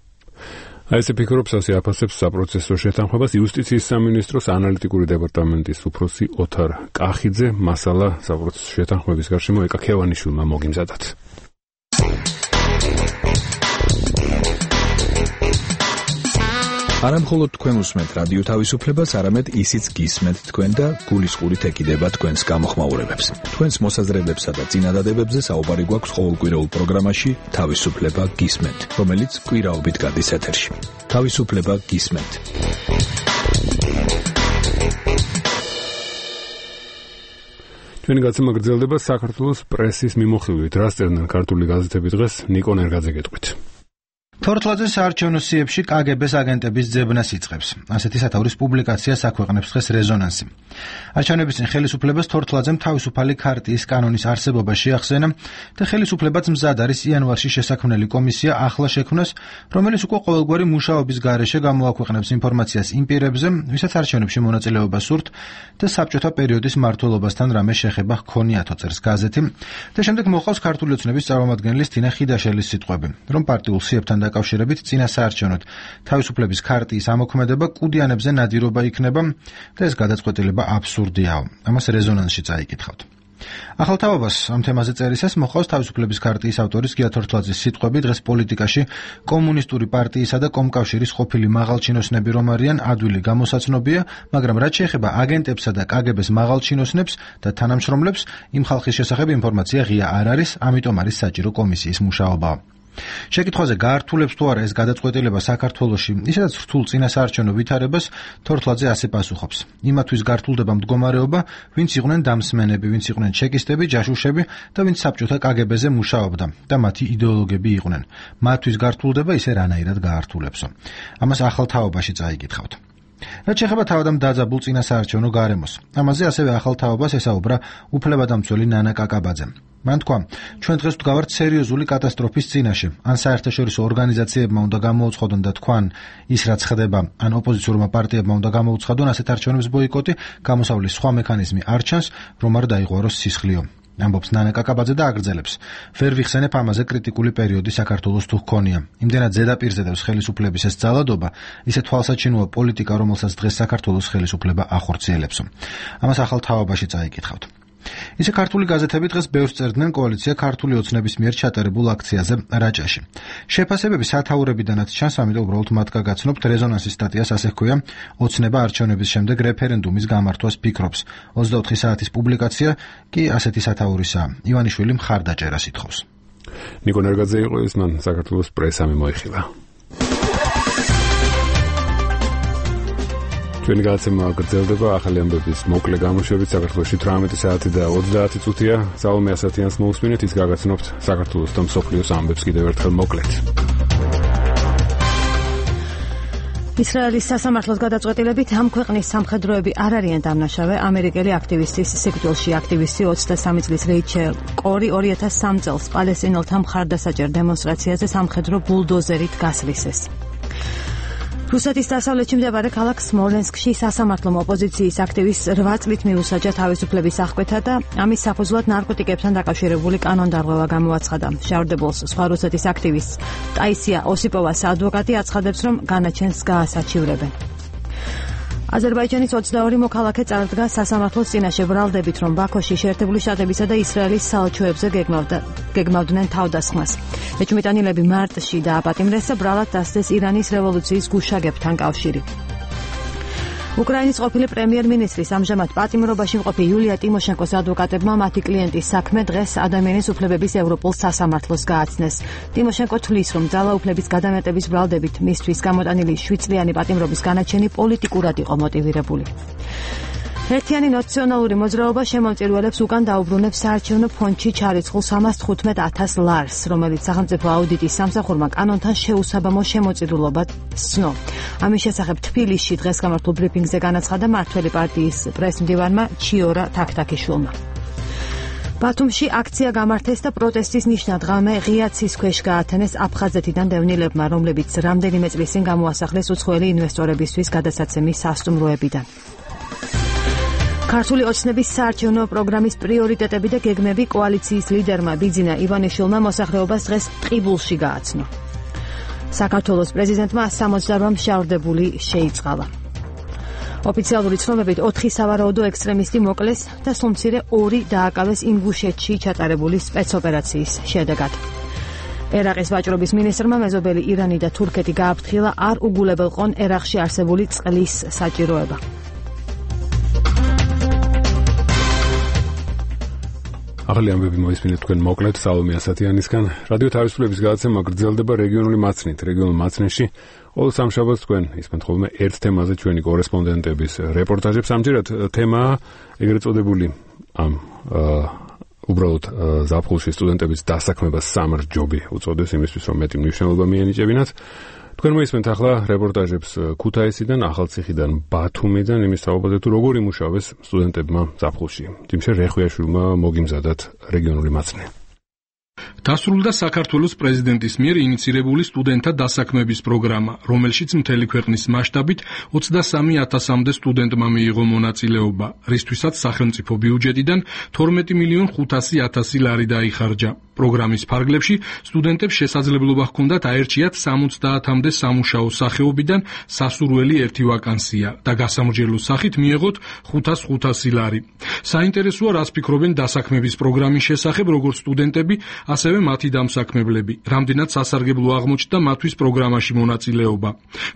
აი ესე ფიქრობს, ასე აფასებს საპროცესო შეთანხმებას იუსტიციის სამინისტროს ანალიტიკური დეპარტამენტის უფროსი ოთარ კახიძე. მასალა საპროცესო შეთანხმების გარშემო ეკა ქევანიშვილმა მოგიმზადათ. არა მხოლოდ თქვენ უსმენთ რადიო თავისუფლებას, არამედ ისიც გისმენთ თქვენ და გულისყურით ეკიდება თქვენს გამოხმაურებებს. თქვენს მოსაზრებებსა და წინადადებებზე საუბარი გვაქვს ყოველკვირეულ პროგრამაში თავისუფლება გისმენთ, რომელიც კვირაობით გადის ეთერში. თავისუფლება გისმენთ. ჩვენი გაცემა გრძელდება საქართველოს პრესის მიმოხილვით. რას წერდნენ ქართული გაზეთები დღეს? ნიკო ნერგაძე გეტყვით. თორთლაძე საარჩევნო სიებში კაგებეს აგენტების ძებნას იწყებს. ასეთი სათაურის პუბლიკაციას აქვეყნებს დღეს რეზონანსი. არჩევნების წინ ხელისუფლებას თორთლაძემ თავისუფალი ქარტიის კანონის არსებობა შეახსენა და ხელისუფლებაც მზად არის იანვარში შესაქმნელი კომისია ახლა შექმნას, რომელიც უკვე ყოველგვარი მუშაობის გარეშე გამოაქვეყნებს ინფორმაციას იმ პირებზე, ვისაც არჩევნებში მონაწილეობა სურთ და საბჭოთა პერიოდის მმართველობასთან რამე შეხება ჰქონიათო, წერს გაზეთი. და შემდეგ მოყავს ქართული ოცნების წარმომადგენლის თინა ხიდაშელის სიტყვები, რომ პარტიულ სიებთან დაკავშირებით წინა საარჩევნოდ თავისუფლების ქარტიის ამოქმედება კუდიანებზე ნადირობა იქნება და ეს გადაწყვეტილება აბსურდიაო. ამას რეზონანსში წაიკითხავთ. ახალ თაობას ამ თემაზე წერისას მოყავს თავისუფლების ქარტიის ავტორის გია თორთლაძის სიტყვები დღეს პოლიტიკაში კომუნისტური პარტიისა და კომკავშირის ყოფილი მაღალჩინოსნები რომ არიან ადვილი გამოსაცნობია, მაგრამ რაც შეეხება აგენტებსა და კაგებეს მაღალჩინოსნებს და თანამშრომლებს, იმ ხალხის შესახებ ინფორმაცია ღია არ არის, ამიტომ არის საჭირო კომისიის მუშაობა. შეკითხვაზე გაართულებს თუ არა ეს გადაწყვეტილება საქართველოში ისედაც რთულ წინასაარჩევნო ვითარებას, თორთლაძე ასე პასუხობს. იმათვის გართულდება მდგომარეობა, ვინც იყვნენ დამსმენები, ვინც იყვნენ ჩეკისტები, ჯაშუშები და ვინც საბჭოთა კაგებეზე მუშაობდა და მათი იდეოლოგები იყვნენ. მათთვის გართულდება ისე რანაირად გაართულებსო. ამას ახალ თაობაში წაიკითხავთ. რაც შეეხება თავადამ დაძაბულ წინასაარჩევნო გარემოს. ამაზე ასევე ახალ თაობას ესაუბრა უფლებადამცველი ნანა კაკაბაძემ. მან თქვა, ჩვენ დღეს ვდგავართ სერიოზული კატასტროფის წინაშე. ან საერთაშორისო ორგანიზაციებმა უნდა გამოუცხადონ და თქვან ის რაც ხდება, ან ოპოზიციურმა პარტიებმა უნდა გამოუცხადონ ასეთ არჩევნებს ბოიკოტი, გამოსავლის სხვა მექანიზმი არ ჩანს, რომ არ დაიღვაროს სისხლიო. ამბობს ნანა კაკაბაძე და აგრძელებს. ვერ ვიხსენებ ამაზე კრიტიკული პერიოდი საქართველოს თუ ჰქონია. იმდენად ზედაპირზე დევს ხელისუფლების ეს ძალადობა, ისე თვალსაჩინოა პოლიტიკა, რომელსაც დღეს საქართველოს ხელისუფლება ახორციელებსო. ამას ახალ თაობაში წაიკითხავთ. ისე ქართული გაზეთები დღეს ბევრს წერდნენ კოალიცია ქართული ოცნების მიერ ჩატარებულ აქციაზე რაჭაში. შეფასებები სათაურებიდანაც ჩანს, ამიტომ უბრალოდ მათ გაგაცნობთ რეზონანსის სტატიას, ასე ჰქვია, ოცნება არჩევნების შემდეგ რეფერენდუმის გამართვას ფიქრობს. ოცდაოთხი საათის პუბლიკაცია კი ასეთი სათაურისაა. ივანიშვილი მხარდაჭერას ითხოვს. ნიკო ნერგაძე იყო ის, მან საქართველოს პრესა მიმოიხილა. ჩვენი გადაცემა გრძელდება ახალი ამბების მოკლე გამოშვებით. საქართველოში თვრამეტი საათი და ოცდაათი წუთია. სალომე ასათიანს მოусმინეთ, ის გაგაცნობთ საქართველოს და მსოფლიოს ამბებს კიდევ ერთხელ მოკლედ. ისრაელის სასამართლოს გადაწყვეტილებით ამ ქვეყნის სამხედროები არ არიან დამნაშავე. ამერიკელი აქტივისტის სიკვდილში აქტივისტი ოცდასამი წლის რეიჩელ კორი ორი ათას სამი წელს პალესტინელთა მხარდასაჭერ დემონსტრაციაზე სამხედრო ბულდოზერით გასრისეს. რუსეთის დასავლეთში მდებარე ქალაქ სმოლენსკში სასამართლომ ოპოზიციის აქტივისტს რვა წლით მიუსაჯა თავისუფლების აღკვეთა და ამის საფუძვლად ნარკოტიკებთან დაკავშირებული კანონდარღვევა გამოაცხადა. შავრდებულს სხვა რუსეთის აქტივისტს ტაისია ოსიპოვას ადვოკატი აცხადებს, რომ განაჩენს გაასაჩივრებენ. აზერბაიჯანის ოცდაორი მოქალაქე წარდგა სასამართლოს წინაშე ბრალდებით, რომ ბაქოში შეერთებული შტატებისა და ისრაელის საელჩოებზე გეგმავდნენ თავდასხმას. ეჭვმიტანილები მარტში დააპატიმრეს და ბრალად დასდეს ირანის რევოლუციის გუშაგებთან კავშირი. უკრაინის ყოფილი პრემიერ-მინისტრის ამჟამად პატიმრობაში მყოფი იულია ტიმოშენკოს ადვოკატებმა მათი კლიენტის საქმე დღეს ადამიანის უფლებების ევროპულ სასამართლოს გააცნეს. ტიმოშენკო თვლის, რომ ძალაუფლების გადამეტების ბრალდებით მისთვის გამოტანილი შვიდ წლიანი პატიმრობის განაჩენი პოლიტიკურად იყო მოტივირებული. ერთიანი ნაციონალური მოძრაობა შემომწირულებს უკან დაუბრუნებს საარჩევნო ფონდში ჩარიცხულ სამას თხუთმეტ ათას ლარს, რომელიც სახელმწიფო აუდიტის სამსახურმა კანონთან შეუსაბამო შემოწირულობა ცნო. ამის შესახებ თბილისში დღეს გამართულ ბრიფინგზე განაცხადა მართველი პარტიის პრესმდივანმა ჩიორა თაქთაქიშვილმა. ბათუმში აქცია გამართეს და პროტესტის ნიშნად ღამე ღია ცის ქვეშ გაათენეს აფხაზეთიდან დევნილებმა, რომლებიც რამდენიმე წლის წინ გამოასახლეს უცხოელი ინვესტორებისთვის გადასაცემის სასტუმროებიდან. ქართული ოცნების საარჩევნო პროგრამის პრიორიტეტები და გეგმები კოალიციის ლიდერმა ბიძინა ივანიშვილმა მოსახლეობას დღეს ტყიბულში გააცნო. საქართველოს პრეზიდენტმა სამოცდარვა მშავრდებული შეიწყალა. ოფიციალური ცნობებით ოთხი სავარაუდო ექსტრემისტი მოკლეს და სულმცირე ორი დააკავეს ინგუშეთში ჩატარებული სპეცოპერაციის შედეგად. ერაყის ვაჭრობის მინისტრმა მეზობელი ირანი და თურქეთი გააფრთხილა არ უგულებელყონ ერაყში არსებული წყლის საჭიროება. ახალი ამბები მოისმინეთ თქვენ მოკლედ სალომე ასათიანისგან. რადიო თავისუფლების გადაცემა გრძელდება რეგიონული მაცნით. რეგიონულ მაცნებში ყოველ სამშაბათს თქვენ ისმენთ ხოლმე ერთ თემაზე ჩვენი კორესპონდენტების რეპორტაჟებს. ამჯერად თემაა ეგრეთ წოდებული ამ უბრალოდ ზაფხულში სტუდენტების დასაქმებას სამარჯობი უწოდეს იმისთვის, რომ მეტი მნიშვნელობა მიენიჭებინათ. თქვენ მოისმენთ ახლა რეპორტაჟებს ქუთაისიდან, ახალციხიდან, ბათუმიდან, იმის თაობაზე თუ როგორ იმუშავეს სტუდენტებმა ზაფხულში. თიმშე რეხვიაშვილმა მოგიმზადათ რეგიონული მაცნე. დასრულდა საქართველოს პრეზიდენტის მიერ ინიცირებული სტუდენტთა დასაქმების პროგრამა, რომელშიც მთელი ქვეყნის მასშტაბით ოცდასამი ათასამდე სტუდენტმა მიიღო მონაწილეობა, რისთვისაც სახელმწიფო ბიუჯეტიდან თორმეტი მილიონ ხუთასი ათასი ლარი დაიხარჯა. პროგრამის ფარგლებში სტუდენტებს შესაძლებლობა ჰქონდათ აერჩიათ სამოცდაათამდე სამუშაო სახეობიდან სასურველი ერთი ვაკანსია და გასამრჯელო სახით მიეღოთ ხუთას ხუთასი ლარი. საინტერესოა, რას ფიქრობენ დასაქმების პროგრამის შესახებ როგორც სტუდენტები, ასევე მათი დამსაქმებლები. რამდენად სასარგებლო აღმოჩნდა მათთვის პროგრამაში მონაწილეობა.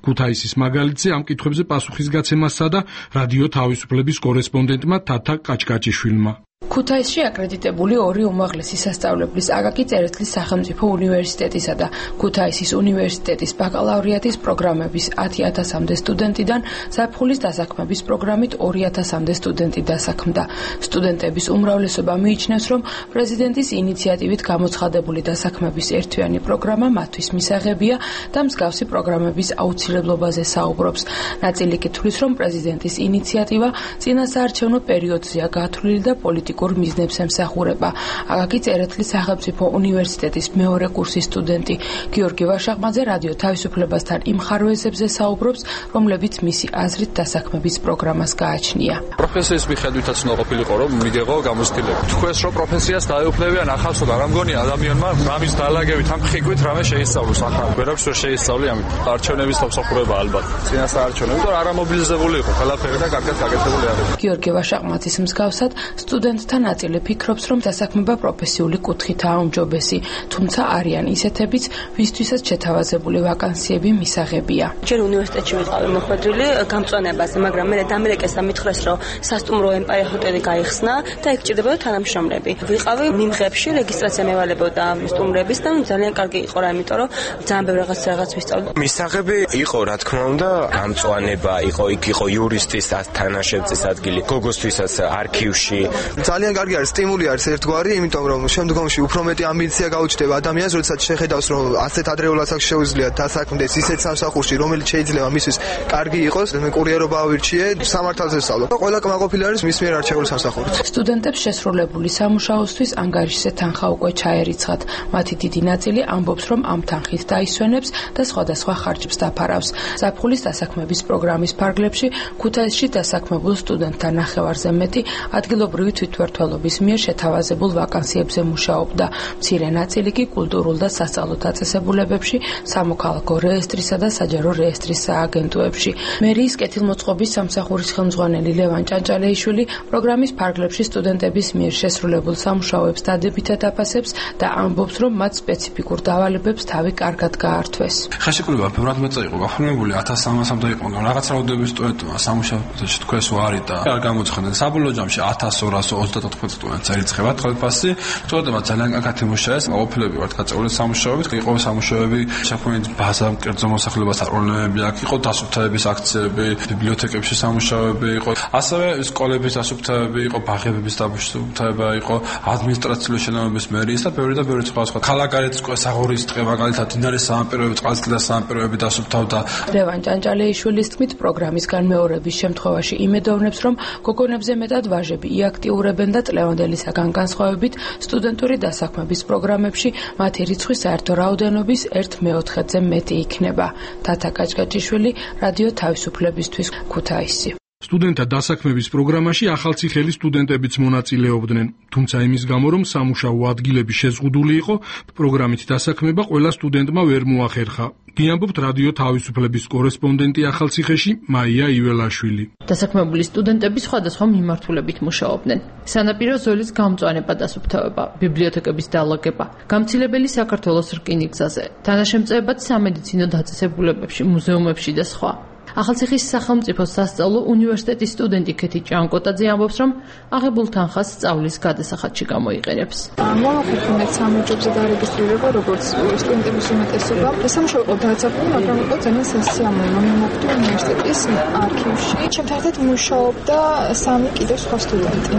ქუთაისის მაგალითზე ამ კითხვებზე პასუხისგაცემას სცადა რადიო თავისუფლების კორესპონდენტმა თათა კაჭკაჭიშვილმა. ქუთაისში აკრედიტებული ორი უმაღლესი სასწავლებლის აკაკი წერეთლის სახელმწიფო უნივერსიტეტისა და ქუთაისის უნივერსიტეტის ბაკალავრიატის პროგრამების ათი ათასამდე სტუდენტიდან ზაფხულის დასაქმების პროგრამით ორი ათასამდე სტუდენტი დასაქმდა. სტუდენტების უმრავლესობა მიიჩნევს, რომ პრეზიდენტის ინიციატივით გამოცხადებული დასაქმების ერთთვიანი პროგრამა მათთვის მისაღებია და მსგავსი პროგრამების აუცილებლობაზე საუბრობს. ნაწილი კი თვლის, რომ პრეზიდენტის ინიციატივა წინა საარჩევნო პერიოდზეა გათვლილი და პოლიტიკური მიზნებს ემსახურება. აკაკი წერეთლის სახელმწიფო უნივერსიტეტის მეორე კურსის სტუდენტი გიორგი ვაშაყმაძე რადიო თავისუფლებასთან იმ ხარვეზებზე საუბრობს, რომლებიც მისი აზრით დასაქმების პროგრამას გააჩნია. პროფესიის მიხედვითაც უნდა ყოფილიყო, რომ მიგეღო გამოცდილება. თქვენს რომ პროფესიას დაეუფლებიან ახალს და რა მგონია ადამიანმა რამის დალაგებით ამ ხიქვით რამე შეისწავლოს ახლა. ვერაფერს ვერ შეისწავლი ამით. არჩევნების თავსახურება ალბათ. წინა საარჩევნო, იმიტომ რომ არა მობილიზებული იყო, ყველაფერი და კარგად გაკეთებული არის. გიორგი ვაშაყმაძის მსგავსად სტუდენტ სტუდენტთა ნაწილი ფიქრობს, რომ დასაქმება პროფესიული კუთხითაა უმჯობესი, თუმცა არიან ისეთებიც, ვისთვისაც შეთავაზებული ვაკანსიები მისაღებია. ჯერ უნივერსიტეტში ვიყავი მოხვედრილი გამწვანებაზე, მაგრამ მე დამელეკესა მითხრეს, რომ სასტუმრო ემპაიერ ჰოტელი გაიხსნა და ეგ ჭირდებოდა თანამშრომლები. ვიყავი მიმღებში, რეგისტრაცია მევალებოდა სტუმრების და ძალიან კარგი იყო რა, იმიტომ რომ ძალიან ბევრი რაღაც რაღაც ვისწავლე. მისაღები იყო, რა თქმა უნდა, გამწვანება იყო, იქ იყო იურისტის თანაშემწის ადგილი, გოგოსთვისაც არქივში. ძალიან კარგი არის, სტიმული არის ერთგვარი, იმიტომ რომ შემდგომში უფრო მეტი ამბიცია გაუჩნდება ადამიანს, როდესაც შეხედავს, რომ ასეთ ადრეულად აქ შეუძლია დასაქმდეს ისეთ სამსახურში, რომელიც შეიძლება მისთვის კარგი იყოს. მე კურიერობა ავირჩიე, სამართალზე ვსწავლობ. ყველა კმაყოფილი არის მის მიერ არჩეული სამსახურით. სტუდენტებს შესრულებული სამუშაოსთვის ანგარიშზე თანხა უკვე ჩაერიცხათ. მათი დიდი ნაწილი ამბობს, რომ ამ თანხით დაისვენებს და სხვადასხვა ხარჯებს დაფარავს. ზაფხულის დასაქმების პროგრამის ფარგლებში ქუთაისში დასაქმებულ სტუდენტთა ნახევარზე მეტი ადგილობრივი თვითმმართველობის მიერ შეთავაზებულ ვაკანსიებზე მუშაობდა. მცირე ნაწილი კი კულტურულ და სასწავლო დაწესებულებებში, სამოქალაქო რეესტრისა და საჯარო რეესტრის სააგენტოებში. მერიის კეთილმოწყობის სამსახურის ხელმძღვანელი ლევან ჭანჭალეიშვილი პროგრამის ფარგლებში სტუდენტების მიერ შესრულებულ სამუშაოებს დადებითად აფასებს და ამბობს, რომ მათ სპეციფიკურ დავალებებს თავი კარგად გაართვეს. ხელშეკრულება ბევრად მეწა იყო გაფორმებული ათას სამასამდე იყო, მაგრამ რაღაც რაოდენობის სტუდენტმა სამუშაო პროცესში თქვენს ვარი და არ გამოცხადდნენ. საბოლოო ჯამში ათას ორას ოცდაოთხ სტუდენტს ერიცხება ხელფასი. სტუდენტებმა ძალიან კარგად იმუშავეს, ყოფილები ვართ გაწეული სამუშაოებით, იყო სამუშაოები შექმნილი ბაზა კერძო მოსახლეობას არონები, აქ იყო დასუფთავების აქციები, ბიბლიოთეკებში სამუშაოები იყო, ასევე სკოლების დასუფთავები იყო, ბაღების დასუფთავება იყო, ადმინისტრაციული შენობების მერიის და ბევრი და ბევრი სხვა სხვა. ქალაქგარეთ საღურის დღე მაგალითად დინარის სამაპიროები, წყალსატელის სამაპიროები დასუფთავდა. ლევან ჭანჭალეიშვილის თქმით, პროგრამის განმეორების შემთხვევაში იმედოვნებს, რომ გოგონებზე მეტად ვაჟები იაქტიურებენ და წლევანდელისაგან განსხვავებით სტუდენტური დასაქმების პროგრამებში მათი რიცხვი საერთო რაოდენობის ერთ მეოთხედზე მეტი იქნება. თათა კაჭკაჭიშვილი, რადიო თავისუფლებისთვის, ქუთაისი. სტუდენტთა დასაქმების პროგრამაში ახალციხელი სტუდენტებიც მონაწილეობდნენ, თუმცა იმის გამო, რომ სამუშაო ადგილები შეზღუდული იყო, პროგრამით დასაქმება ყველა სტუდენტმა ვერ მოახერხა. გიამბობთ რადიო თავისუფლების კორესპონდენტი ახალციხეში მაია იველაშვილი. დასაქმებული სტუდენტები სხვადასხვა მიმართულებით მუშაობდნენ. სანაპირო ზოლის გამწვანება დასუფთავება, ბიბლიოთეკების დალაგება, გამცილებელი საქართველოს რკინიგზაზე, თანაშემწეებაც სამედიცინო დაწესებულებებში, მუზეუმებში და სხვა. ახალციხის სახელმწიფო სასწავლო უნივერსიტეტის სტუდენტი ქეთი ჭანკოტაძე ამბობს, რომ აღებულ თანხას სწავლის გადასახადში გამოიყენებს. მოვახერხეთ სამუშაოზე დარეგისტრირება, როგორც სტუდენტების უმეტესობა. სამუშაო იყო დაცაქმული, მაგრამ იყო ძალიან სასიამოვნო. მე მოვხდი უნივერსიტეტის არქივში. ჩემთან ერთად მუშაობდა სამი კიდევ სხვა სტუდენტი.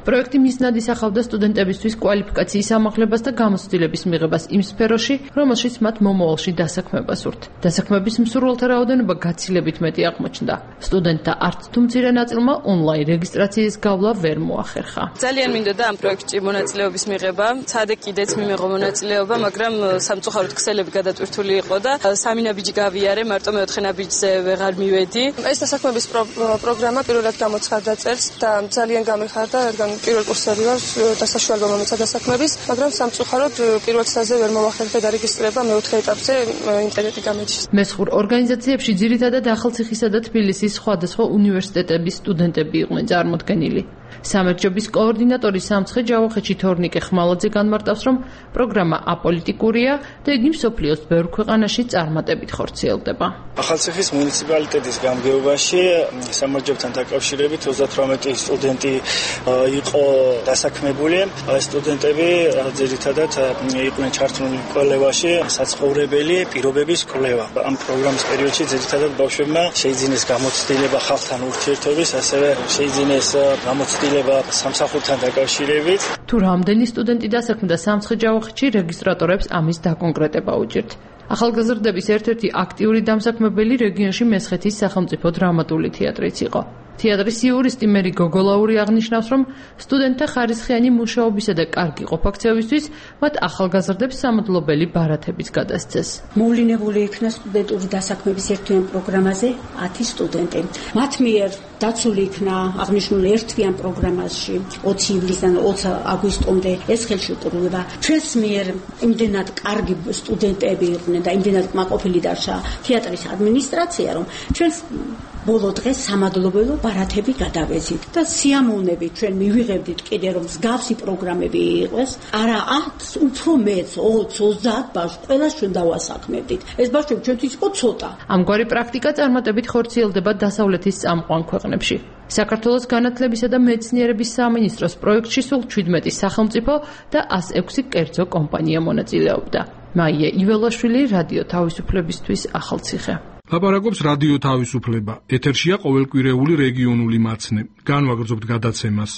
პროექტი მიზნად ისახავდა სტუდენტებისთვის კვალიფიკაციის ამაღლებას და გამოცდილების მიღებას იმ სფეროში, რომელშიც მათ მომავალში დასაქმება სურთ. დასაქმების მსურველთა რაოდენობა გაცილებით მეტი აღმოჩნდა. სტუდენტთა არც თუ მცირე ნაწილმა ონლაინ რეგისტრაციის გავლა ვერ მოახერხა. ძალიან მინდოდა ამ პროექტში მონაწილეობის მიღება, ცადე კიდეც მიმეღო მონაწილეობა, მაგრამ სამწუხაროდ ქსელები გადატვირთული იყო და სამი ნაბიჯი გავიარე, მარტო მეოთხე ნაბიჯზე ვეღარ მივედი. ეს დასაქმების პროგრამა პირველად გამოცხადდა წელს და ძალიან გამეხარდა, რადგან პირველ კურსები ვარ და საშუალება მომეცა დასაქმების, მაგრამ სამწუხაროდ პირველ წელზე ვერ მოვახერხე დარეგისტრირება მეოთხე ეტაპზე ინტერნეტი გამეჩის. მესხურ ორგანიზაციებში ძირითადად ახალციხისა და თბილისის სხვადასხვა უნივერსიტეტების სტუდენტები იყვნენ წარმოდგენილი. სამერთჯობის კოორდინატორი სამცხე ჯავახეთში თორნიკე ხმალაძე განმარტავს, რომ პროგრამა აპოლიტიკურია და იგი მსოფლიოს ბევრ ქვეყანაში წარმატებით ხორციელდება. ახალციხის მუნიციპალიტეტის გამგეობაში სამერთჯობთან დაკავშირებით ოცდათვრამეტი სტუდენტი იყო დასაქმებული. სტუდენტები ძირითადად იყვნენ ჩართული კვლევაში, საცხოვრებელი პირობების კვლევა. ამ პროგრამის პერიოდში ძირითადად ბავშვებმა შეიძინეს გამოცდილება ხალხთან ურთიერთობის, ასევე შეიძინეს გამოცდილება სამსახურთან დაკავშირებით. თუ რამდენი სტუდენტი დასაქმდა სამცხე ჯავახეთში, რეგისტრატორებს ამის დაკონკრეტება უჭირთ. ახალგაზრდების ერთ-ერთი აქტიური დამსაქმებელი რეგიონში მესხეთის სახელმწიფო დრამატული თეატრიც იყო. თეატრის იურისტი მერი გოგოლაური აღნიშნავს, რომ სტუდენტთა ხარისხიანი მუშაობისა და კარგი ყოფაქცევისთვის მათ ახალგაზრდებს სამადლობელი ბარათებიც გადასცეს. მოვლენებული იქნა სტუდენტური დასაქმების ერთვიან პროგრამაზე ათი სტუდენტი. მათ მიერ დაცული იქნა აღნიშნული ერთვიან პროგრამაში ოცი ივლისიდან ოცი აგვისტომდე ეს ხელშეკრულება. ჩვენს მიერ იმდენად კარგი სტუდენტები იყვნენ და იმდენად კმაყოფილი დარჩა თეატრის ადმინისტრაცია, რომ ჩვენს ბოლო დღეს სამადლობელო ბარათები გადავეზით და სიამოვნებით ჩვენ მივიღებდით კიდე რომ მსგავსი პროგრამები იყოს. არა ათს, უფრო მეც, ოცს, ოცდაათ ბავშვს ყველას ჩვენ დავასაქმებდით. ეს ბავშვები ჩვენთვის იყო ცოტა. ამგვარი პრაქტიკა წარმატებით ხორციელდება დასავლეთის წამყვან ქვეყნებში. საქართველოს განათლებისა და მეცნიერების სამინისტროს პროექტში სულ ჩვიდმეტი სახელმწიფო და ას ექვსი კერძო კომპანია მონაწილეობდა. მაია იველაშვილი, რადიო თავისუფლებისთვის, ახალციხე. ლაპარაკობს რადიო თავისუფლება. ეთერშია ყოველკვირეული რეგიონული მაცნე. განვაგრძობთ გადაცემას.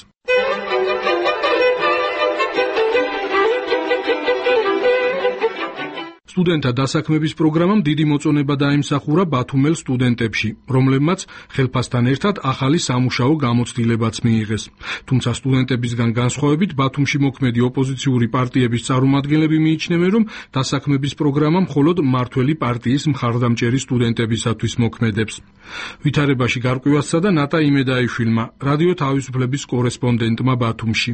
სტუდენტთა დასაქმების პროგრამამ დიდი მოწონება დაიმსახურა ბათუმელ სტუდენტებში, რომლებმაც ხელფასთან ერთად ახალი სამუშაო გამოცდილებაც მიიღეს. თუმცა სტუდენტებისგან განსხვავებით ბათუმში მოქმედი ოპოზიციური პარტიების წარმომადგენლები მიიჩნევენ, რომ დასაქმების პროგრამა მხოლოდ მმართველი პარტიის მხარდამჭერი სტუდენტებისათვის მოქმედებს. ვითარებაში გარკვევასა და ნატა იმედაიშვილმა, რადიო თავისუფლების კორესპონდენტმა ბათუმში.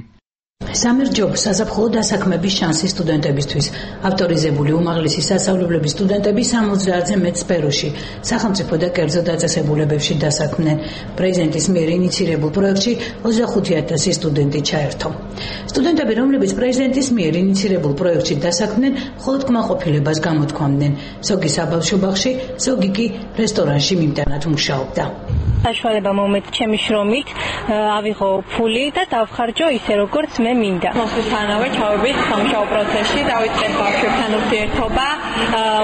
სამერჯობ საზაფხულო დასაქმების შანსი სტუდენტებისთვის. ავტორიზებული უმაღლესი სასწავლებლების სტუდენტები სამოცდაათზე მეტ სფეროში, სახელმწიფო და კერძო დაწესებულებებში დასაქმდნენ. პრეზიდენტის მიერ ინიცირებულ პროექტში ოცდახუთი ათასი სტუდენტი ჩაერთო. სტუდენტები, რომლებიც პრეზიდენტის მიერ ინიცირებულ პროექტში დასაქმდნენ, მხოლოდ კმაყოფილებას გამოთქვამდნენ. ზოგი საბავშვო ბაღში, ზოგი კი რესტორანში მიმტანად მუშაობდა. საშუალება მომეც ჩემი შრომით, ავიღო ფული და დავხარჯო ისე როგორც მე მინდა. მოსულთანავე ჩავებით სამუშაო პროცესში, დავიწყეთ ბავშვებთან ურთიერთობა,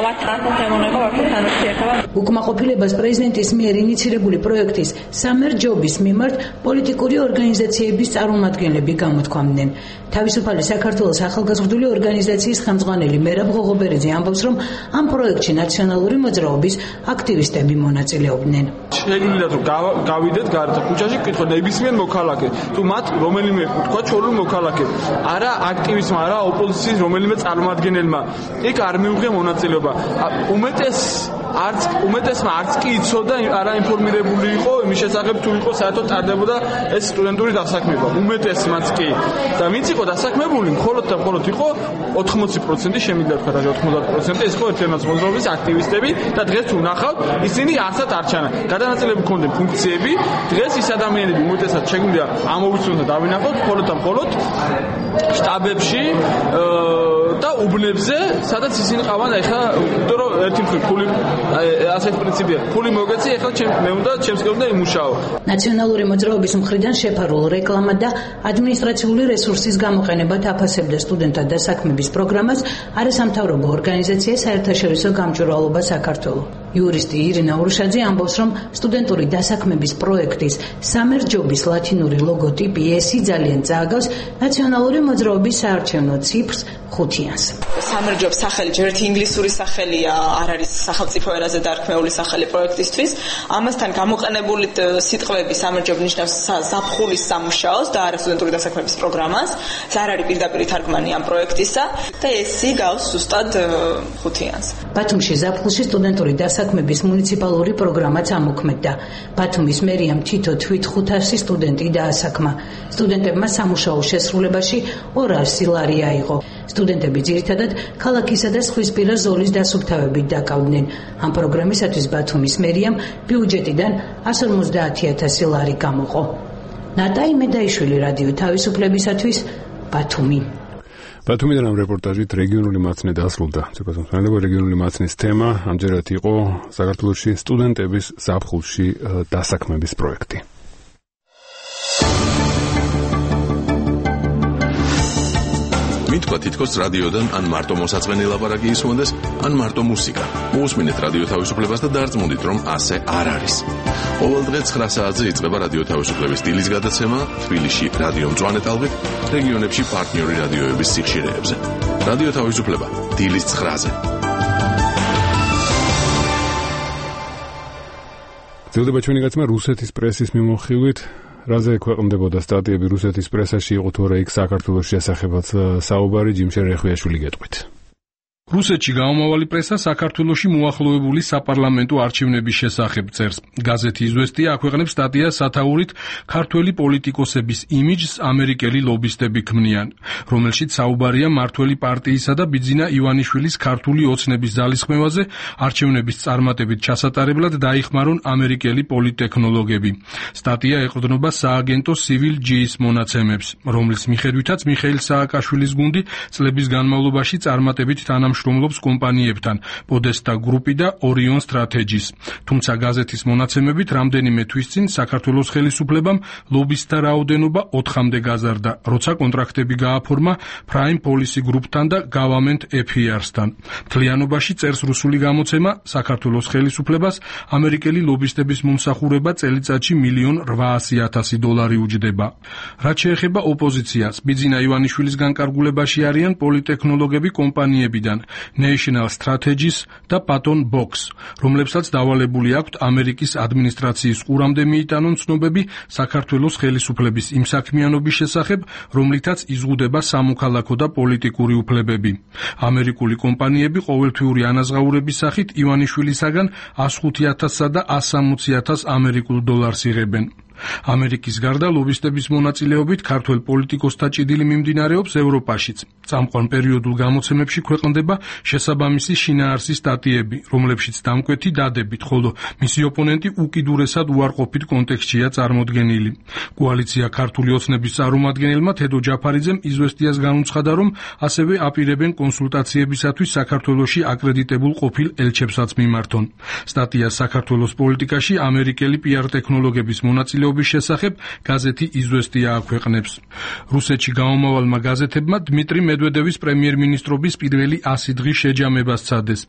ვაწყაროთ ემონება ბავშვებთან ურთიერთობა. უკმაყოფილებას პრეზიდენტის მიერ ინიცირებული პროექტის სამერჯობის მიმართ პოლიტიკური ორგანიზაციების წარმომადგენლები გამოთქვამდნენ. თავისუფალი საქართველოს ახალგაზრდული ორგანიზაციის ხელმძღვანელი მერაბ ღოღობერიძე ამბობს, რომ ამ პროექტში ნაციონალური მოძრაობის აქტივისტები მონაწილეობდნენ. შეგვიძლია რომ გავიდეთ გარეთ ქუჩაში, კითხო ნებისმიერ მოქალაქე, თუ მათ რომელიმე თქვა ჩორლუ მოქალაქე, არა აქტივისტმა, არა ოპოზიციის რომელიმე წარმომადგენელმა, იქ არ მიუღია მონაწილეობა. უმეტეს არც უმეტესმა არც კი იცოდა, არა ინფორმირებული იყო იმის შესახებ, თუ იყო საერთოდ ტარდებოდა ეს სტუდენტური დასაქმება. უმეტესმაც კი. და ვინც იყო დასაქმებული, მხოლოდ და მხოლოდ იყო ოთხმოცი პროცენტი, შემიძლია თქვა რა ოცდაათ პროცენტი, ეს იყო ერთიანობის მოძრაობის აქტივისტები და დღეს თუ ნახავთ, ისინი არცად არ ჩანა. გადანაწილებული ჰქონდნენ ფუნქციები, დღეს ის ადამიანები უმეტესად შეგვიძლია ამოვიცნოთ და დავინახოთ, მხოლოდ და მხოლოდ შტაბებში და უბნებზე, სადაც ისინი ყავან, ეხლა იმიტომ რომ ერთი მხრივ ფული ასეთ პრინციპია, ფული მოგეცი, ეხლა მე უნდა ჩემს კერდე იმუშაო. ნაციონალური მოძრაობის მხრიდან შეფარულ რეკლამა და ადმინისტრაციული რესურსის გამოყენებად აფასებდა სტუდენტთა დასაქმების პროგრამას არასამთავრობო ორგანიზაცია საერთაშორისო გამჭვირვალობა საქართველო. იურისტი ირინა ურუშაძე ამბობს, რომ სტუდენტური დასაქმების პროექტის სამერჯობის ლათინური ლოგოტიპი ესი ძალიან წააგავს ნაციონალური მოძრაობის საარჩევნო ციფრს ხუთიანს. სამერჯობს სახელი ჯერ ერთი ინგლისური სახელია, არ არის სახელმწიფო ენაზე დარქმეული სახელი პროექტისთვის. ამასთან გამოყენებული სიტყვები სამერჯობ ნიშნავს ზაფხულის სამუშაოს და არა სტუდენტური დასაქმების პროგრამას. არ არის პირდაპირ თარგმანი ამ პროექტისა და ესი გავს ზუსტად ხუთიანს. ბათუმში ზაფხულში სტუდენტური დასაქმების მუნიციპალური პროგრამაც ამოქმედდა. ბათუმის მერიამ თითო თვით ხუთასი სტუდენტი დაასაქმა. სტუდენტებმა სამუშაო შესრულებაში ორასი ლარი აიღო. სტუდენტები ძირითადად ქალაქისა და სხვისპირა ზოლის დასუფთავებით დაკავდნენ. ამ პროგრამისათვის ბათუმის მერიამ ბიუჯეტიდან εκατს ორმოცდაათი ათასი ლარი გამოყო. ნატა იმედაიშვილი, რადიო თავისუფლებისათვის, ბათუმი. ბათუმიდან ამ რეპორტაჟით რეგიონული მაცნე დასრულდა. ცეკვა რეგიონული მაცნის თემა ამჯერად იყო საქართველოში სტუდენტების ზაფხულში დასაქმების პროექტი. მითქვა თითქოს რადიოდან ან მარტო მოსაწყენი ლაპარაკი ისმონდეს, ან მარტო მუსიკა. მოусმინეთ რადიო თავისუფლებას და დარწმუნდით, რომ ასე არ არის. ყოველ დღე ცხრა საათზე იწყება რადიო თავისუფლების სტილის გადაცემა თბილისში რადიო მწვანე ტალღით, რეგიონებში პარტნიორი რადიოების სიხშირეებზე. რადიო თავისუფლება დილის ცხრაზე. ძილდება ჩვენი გაცემა რუსეთის პრესის მიმოხილვით. რაზე ქვეყნდებოდა სტატიები რუსეთის პრესაში, იყო თუ არა იქ საქართველოს შესახებაც საუბარი, ჯიმშე რეხვიაშვილი გეტყვით. რუსეთში გამომავალი პრესა საქართველოში მოახლოებული საპარლამენტო არჩევნების შესახებ წერს. გაზეთი „იზვესტია“ აქვეყნებს სტატიას სათაურით ქართველი პოლიტიკოსების იმიჯს ამერიკელი ლობისტები ქმნიან, რომელშიც საუბარია მმართველი პარტიისა და ბიძინა ივანიშვილის ქართული ოცნების ძალისხმევაზე, არჩევნების წარმატებით ჩასატარებლად დაიხმარონ ამერიკელი პოლიტექნოლოგები. სტატია ეყრდნობა სააგენტო Civil G-ის მონაცემებს, რომლის მიხედვითაც მიხეილ სააკაშვილის გუნდი წლების განმავლობაში წარმატებით თანამშრომლობს კომპანიებთან Podesta Group-ი და Orion Strategies. თუმცა გაზეთის მონაცემებით რამდენიმე თვის წინ საქართველოს ხელისუფლებამ ლობისტთა რაოდენობა ოთხამდე გაზარდა, როცა კონტრაქტები გააფორმა Prime Policy Group-თან და Government Affairs-თან. მთლიანობაში წერს რუსული გამოცემა, საქართველოს ხელისუფლებას ამერიკელი ლობისტების მომსახურება წელიწადში მილიონ რვაასი ათასი დოლარი უჯდება. რაც შეეხება ოპოზიციას, ბიძინა ივანიშვილის განკარგულებაში არიან პოლიტექნოლოგები კომპანიებიდან National Strategies და Patton Box, რომლებსაც დავალებული აქვთ ამერიკის ადმინისტრაციის ყურამდე მიიტანონ ცნობები საქართველოს ხელისუფლების იმ საქმიანობის შესახებ, რომლითაც იზღუდება სამოქალაქო და პოლიტიკური უფლებები. ამერიკული კომპანიები ყოველთვიური ანაზღაურების სახით ივანიშვილისაგან ას ხუთი ათასსა და ას სამოცი ათას ამერიკულ დოლარს იღებენ. ამერიკის გარდა ლობისტების მონაწილეობით ქართველ პოლიტიკოსთა ჭიდილი მიმდინარეობს ევროპაშიც. წამყვან პერიოდულ გამოცემებში ქვეყნდება შესაბამისი შინაარსის სტატიები, რომლებშიც დამკვეთი დადებით, ხოლო მისი ოპონენტი უკიდურესად უარყოფით კონტექსტშია წარმოდგენილი. კოალიცია ქართული ოცნების წარმომადგენელმა თედო ჯაფარიძემ იზვესტიას განუცხადა, რომ ასევე აპირებენ კონსულტაციებისათვის საქართველოში აკრედიტებულ ყოფილ ელჩებსაც მიმართონ. სტატია საქართველოს პოლიტიკაში ამერიკელი პიარ ტექნოლოგების მონაწილეობით შესახებ გაზეთი „იზვესტია“ აქვეყნებს. რუსეთში გამომავალმა გაზეთებმა დმიტრი მედვედევის პრემიერ-მინისტრობის პირველი ასი დღის შეჯამება სცადეს.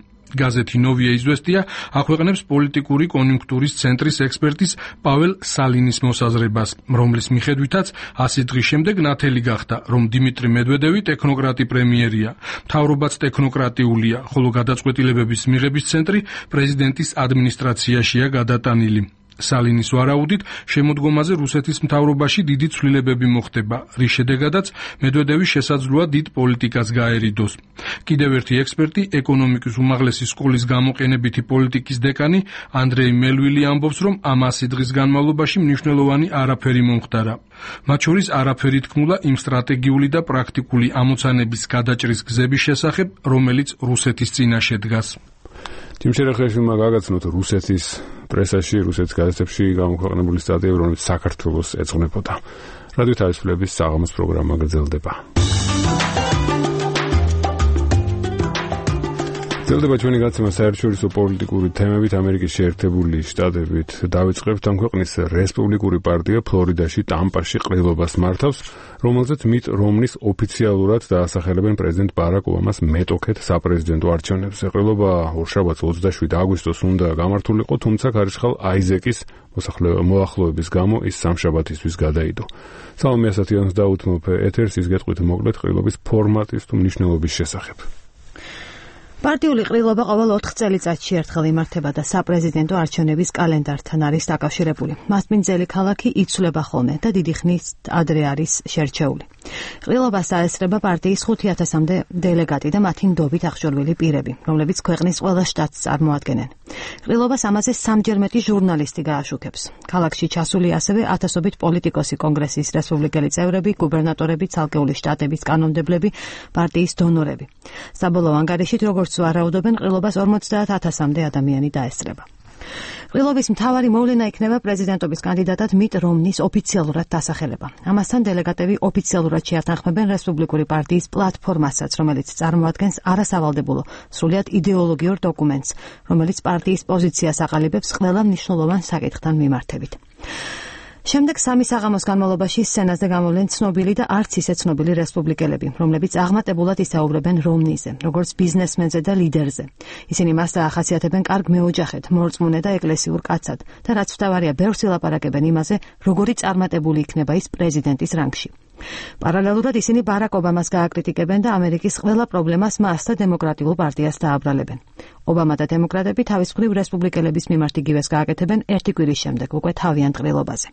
გაზეთი „ნოვია იზვესტია“ აქვეყნებს პოლიტიკური კონიუნქტურის ცენტრის ექსპერტის პაվել სალინის მოსაზრებას, რომლის მიხედვითაც ასი დღის შემდეგ ნათელი გახდა, რომ დიმიტრი მედვედევი ტექნოკრატი პრემიერია, მთავრობაც ტექნოკრატიულია, ხოლო გადაწყვეტილებების მიღების ცენტრი პრეზიდენტის ადმინისტრაციაშია გადატანილი. სალინის ვარაუდით შემოდგომაზე რუსეთის მთავრობაში დიდი ცვლილებები მოხდება, რის შედეგადაც მედვედევი შესაძლოა დიდ პოლიტიკას გაერიდოს. კიდევ ერთი ექსპერტი, ეკონომიკის უმაღლესი სკოლის გამოყენებითი პოლიტიკის დეკანი ანდრეი მელვილი ამბობს, რომ ამ ასი დღის განმავლობაში მნიშვნელოვანი არაფერი მომხდარა. მათ შორის არაფერი თქმულა იმ სტრატეგიული და პრაქტიკული ამოცანების გადაჭრის გზების შესახებ, რომელიც რუსეთის წინაშე დგას. თიმშერახეშვილმა გაგაცნოთ რუსეთის პრესაში, რუსეთის გაზეთებში გამოქვეყნებული სტატიები, რომელიც საქართველოს ეძღვნებოდა. რადიო თავისუფლების საღამოს პროგრამა გრძელდება. გრძელდება ჩვენი გაცემა საერთაშორისო პოლიტიკური თემებით. ამერიკის შეერთებული შტატებით დავიწყებთ ამ ქვეყნის რესპუბლიკური პარტია ფლორიდაში ტამპაში ყრილობას მართავს, რომელზეც მიტ რომნის ოფიციალურად დაასახელებენ პრეზიდენტ ბარაკ ობამას მეტოქეთ საპრეზიდენტო არჩევნებზე. ყრილობა ორშაბათს ოცდაშვიდი აგვისტოს უნდა გამართულიყო, თუმცა ქარიშხალ აიზეკის მოახლოების გამო ის სამშაბათისთვის გადაიდო. სალომე ასათიანს დაუთმობ ეთერს, ის გეტყვით მოკლედ ყრილობის ფორმატის თუ მნიშვნელობის შესახებ. პარტიული ყრილობა ყოველ ოთხ წელიწადში ერთხელ იმართება და საპრეზიდენტო არჩევნების კალენდართან არის დაკავშირებული. მასპინძელი ქალაქი იცვლება ხოლმე და დიდი ხნის ადრე არის შერჩეული. ყრილობას დაესწრება პარტიის ხუთი ათასამდე დელეგატი და მათი ნდობით აღჭურვილი პირები, რომლებიც ქვეყნის ყველა შტატს წარმოადგენენ. ყრილობას ამაზე სამჯერ მეტი ჟურნალისტი გააშუქებს. ქალაქში ჩასული ასევე ათასობით პოლიტიკოსი, კონგრესის რესპუბლიკელი წევრები, გუბერნატორები, ცალკეული შტატების კანონმდებლები, პარტიის დონორები. საბოლოო ანგარიშით, როგორც ვარაუდობენ, ყრილობას ორმოცდაათ ათასამდე ადამიანი დაესწრება. ყრილობის მთავარი მოვლენა იქნება პრეზიდენტობის კანდიდატად მიტ რომნის ოფიციალურად დასახელება. ამასთან დელეგატები ოფიციალურად შეათანხმებენ რესპუბლიკური პარტიის პლატფორმასაც, რომელიც წარმოადგენს არასავალდებულო, სრულიად იდეოლოგიურ დოკუმენტს, რომელიც პარტიის პოზიციას აყალიბებს ყველა მნიშვნელოვან საკითხთან მიმართებით. შემდეგ სამი საღამოს განმავლობაში სცენაზე გამოვლენ ცნობილი და არც ისე ცნობილი რესპუბლიკელები, რომლებიც აღმატებულად ისაუბრებენ რომნიზე, როგორც ბიზნესმენზე და ლიდერზე. ისინი მას დაახასიათებენ კარგ მეოჯახედ, მორწმუნე და ეკლესიურ კაცად და რაც მთავარია, ბევრს ილაპარაკებენ იმაზე, როგორი წარმატებული იქნება ის პრეზიდენტის რანგში. პარალელურად ისინი ბარაკ ობამას გააკრიტიკებენ და ამერიკის ყველა პრობლემას მას და დემოკრატიულ პარტიას დააბრალებენ. ობამა და დემოკრატები თავის მხრივ რესპუბლიკელების მიმართ იგივეს გააკეთებენ ერთი კვირის შემდეგ უკვე თავიანთ ყრილობაზე.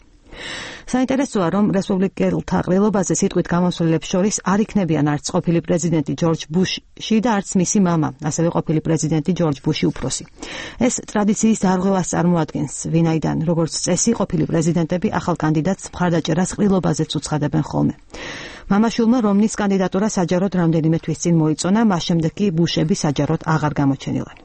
საინტერესოა, რომ რესპუბლიკელთა ყრილობაზე სიტყვით გამოსვლელებს შორის არ იქნებიან არც ყოფილი პრეზიდენტი ჯორჯ ბუში და არც მისი მამა, ასევე ყოფილი პრეზიდენტი ჯორჯ ბუში უფროსი. ეს ტრადიციის დარღვევას წარმოადგენს, ვინაიდან, როგორც წესი, ყოფილი პრეზიდენტები ახალ კანდიდატს მხარდაჭერას ყრილობაზეც უცხადებენ ხოლმე. მამაშვილმა რომნის კანდიდატურა საჯაროდ რამდენიმე თვის წინ მოიწონა, მას შემდეგ კი ბუშები საჯაროდ აღარ გამოჩენილან.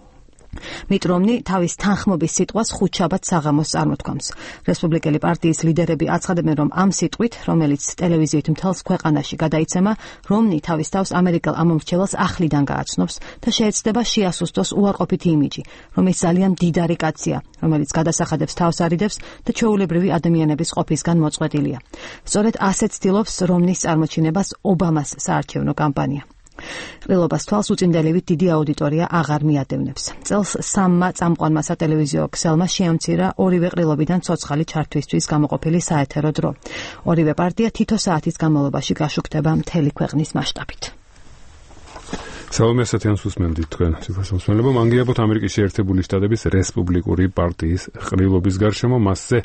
მიტ რომნი თავის თანხმობის სიტყვას ხუთშაბათს საღამოს წარმოთქვამს. რესპუბლიკელი პარტიის ლიდერები აცხადებენ, რომ ამ სიტყვით, რომელიც ტელევიზიით მთელს ქვეყანაში გადაიცემა, რომნი თავის თავს ამერიკელ ამომრჩეველს ახლიდან გააცნობს და შეეცდება შეასუსტოს უარყოფითი იმიჯი, რომ ის ძალიან მდიდარი კაცია, რომელიც გადასახადებს თავს არიდებს და ჩვეულებრივი ადამიანების ყოფისგან მოწყვეტილია. სწორედ ასეთ ცდილობს რომნის წარმოჩინებას ობამას საარჩევნო კამპანია. ყრილობას თვალს უწინდელივით დიდი აუდიტორია აღარ მიადევნებს. წელს სამმა წამყვანმა სატელევიზიო ქსელმა შეამცირა ორივე ყრილობიდან ცოცხალი ჩართვისთვის გამოყოფილი საეთერო დრო. ორივე პარტია თითო საათის განმავლობაში გაშუქდება მთელი ქვეყნის მასშტაბით. სალომე ასათიანს უსმენდით თქვენ სიფასმოსმელებო. მანგიაბოთ ამერიკის შეერთებული შტატების რესპუბლიკური პარტიის ყრილობის გარშემო მასზე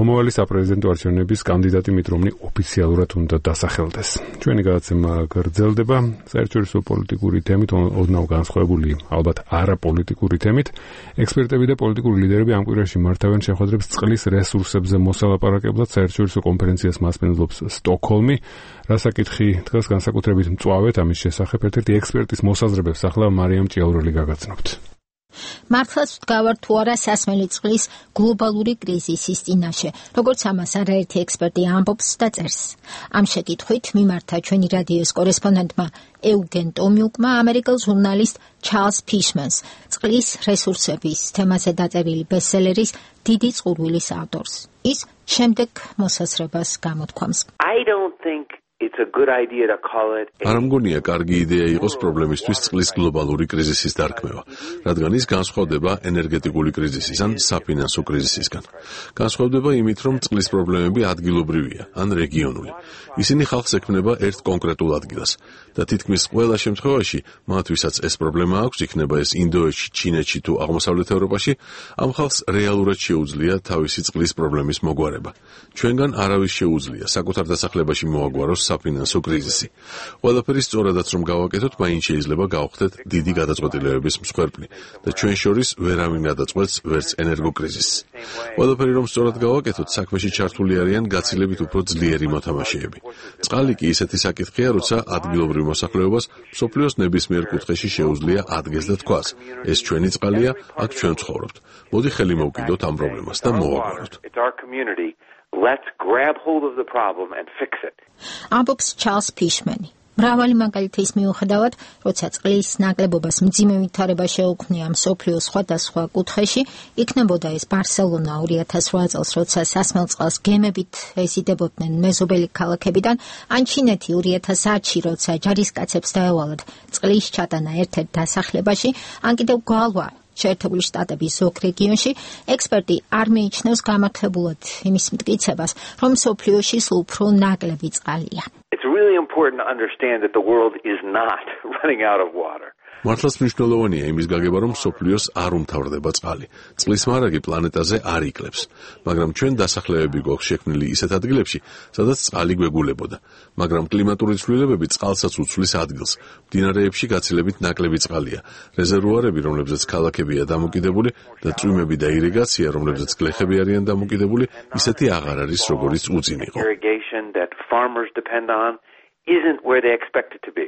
მომავალი საპრეზიდენტო არჩევნების კანდიდატი მიტ რომნი ოფიციალურად უნდა დასახელდეს. ჩვენი გადაცემა გრძელდება საერთაშორისო პოლიტიკური თემით, ოდნავ განსხვავებული, ალბათ არაპოლიტიკური თემით. ექსპერტები და პოლიტიკური ლიდერები ამ კვირაში მართავენ შეხვედრებს წყლის რესურსებზე მოსალაპარაკებლად. საერთაშორისო კონფერენციას მასპინძლობს სტოკჰოლმი. რასაკითხი დღეს განსაკუთრებით მწვავეთ ამის შესახებ ერთ-ერთი ექსპერტის მოსაზრებებს ახლა მარიამ ჭიაურელი გაგაცნობთ. მართლაც ვდგავარ თუ არა სასმელი წყლის გლობალური კრიზისის წინაშე, როგორც ამას არაერთი ექსპერტი ამბობს და წერს. ამ შეკითხვით მიმართა ჩვენი რადიოს კორესპონდენტმა ევგენ ტომიუკმა ამერიკელ ჟურნალისტ ჩარლზ ფიშმანს, წყლის რესურსების თემაზე დაწერილი ბესტსელერის დიდი წყურვილის ავტორს. ის შემდეგ მოსაზრებას გამოთქვამს. I don't think it's a good idea to call it. არ მგონია კარგი იდეა იყოს პრობლემისთვის წყლის გლობალური კრიზისის დარქმევა, რადგან ის განსხვავდება ენერგეტიკული კრიზისის ან საფინანსო კრიზისისგან. განსხვავდება იმით, რომ წყლის პრობლემები ადგილობრივია ან რეგიონული. ისინი ხალხს ექმნება ერთ კონკრეტულ ადგილას და თითქმის ყველა შემთხვევაში, მათ ვისაც ეს პრობლემა აქვს, იქნება ეს ინდოეთში, ჩინეთში თუ აღმოსავლეთ ევროპაში, ამ ხალხს რეალურად შეუძლია თავისი წყლის პრობლემის მოგვარება. ჩვენგან არავის შეუძლია საკუთარ დასახლებაში მოაგვაროს საფინანსო კრიზისი. ყველაფერი სწორადაც რომ გავაკეთოთ, მაინც შეიძლება გავხდეთ დიდი გადაწყვეტილებების მსხვერპლი და ჩვენ შორის ვერავინ გადაწყვეტს ვერც ენერგოკრიზისს. ყველაფერი რომ სწორად გავაკეთოთ, საქმეში ჩართული არიან გაცილებით უფრო ძლიერი მოთამაშეები. წყალი კი ისეთი საკითხია, როცა ადგილობრივ მოსახლეობას მსოფლიოს ნებისმიერ კუთხეში შეუძლია ადგენს და თქვას: ეს ჩვენი წყალია, აქ ჩვენ ვცხოვრობთ. მოდი ხელი მოვკიდოთ ამ პრობლემას და მოვაგვაროთ. Let's grab hold of the problem and fix it. ამბობს ჩარლზ ფიშმანი. მრავალი მაგალითის მიუხედავად, როცა წყლის ნაკლებობას მძიმე ვითარება შეუქმნია მსოფლიოს სხვადასხვა კუთხეში, იქნებოდა ეს ბარსელონა ორი ათას ოთხ წელს, როცა სასმელ წყალს გემებით ეზიდებოდნენ მეზობელი ქალაქებიდან, ან ჩინეთი ორი ათას ათში, როცა ჯარისკაცებს დაევალათ წყლის ჩატანა ერთ-ერთ დასახლებაში, ან კიდევ გალვა შეერთებული შტატების ზოგ რეგიონში, ექსპერტი არ მიიჩნევს გამართლებულად იმის მტკიცებას, რომ მსოფლიოში სულ უფრო ნაკლები წყალია. It's really important to understand that the world is not running out of water. მართლაც მნიშვნელოვანია იმის გაგება, რომ მსოფლიოს არ უმთავრდება წყალი. წყლის მარაგი პლანეტაზე არ იკლებს, მაგრამ ჩვენ დასახლებები გვაქვს შექმნილი ისეთ ადგილებში, სადაც წყალი გვეგულებოდა. მაგრამ კლიმატური ცვლილებები წყალსაც უცვლის ადგილს. მდინარეებში გაცილებით ნაკლები წყალია. რეზერვუარები, რომლებზეც ქალაქებია დამოკიდებული და წვიმები და ირიგაცია, რომლებზეც გლეხები არიან დამოკიდებული, ისეთი აღარ არის, როგორიც უწინ იყო. Isn't where they expect it to be.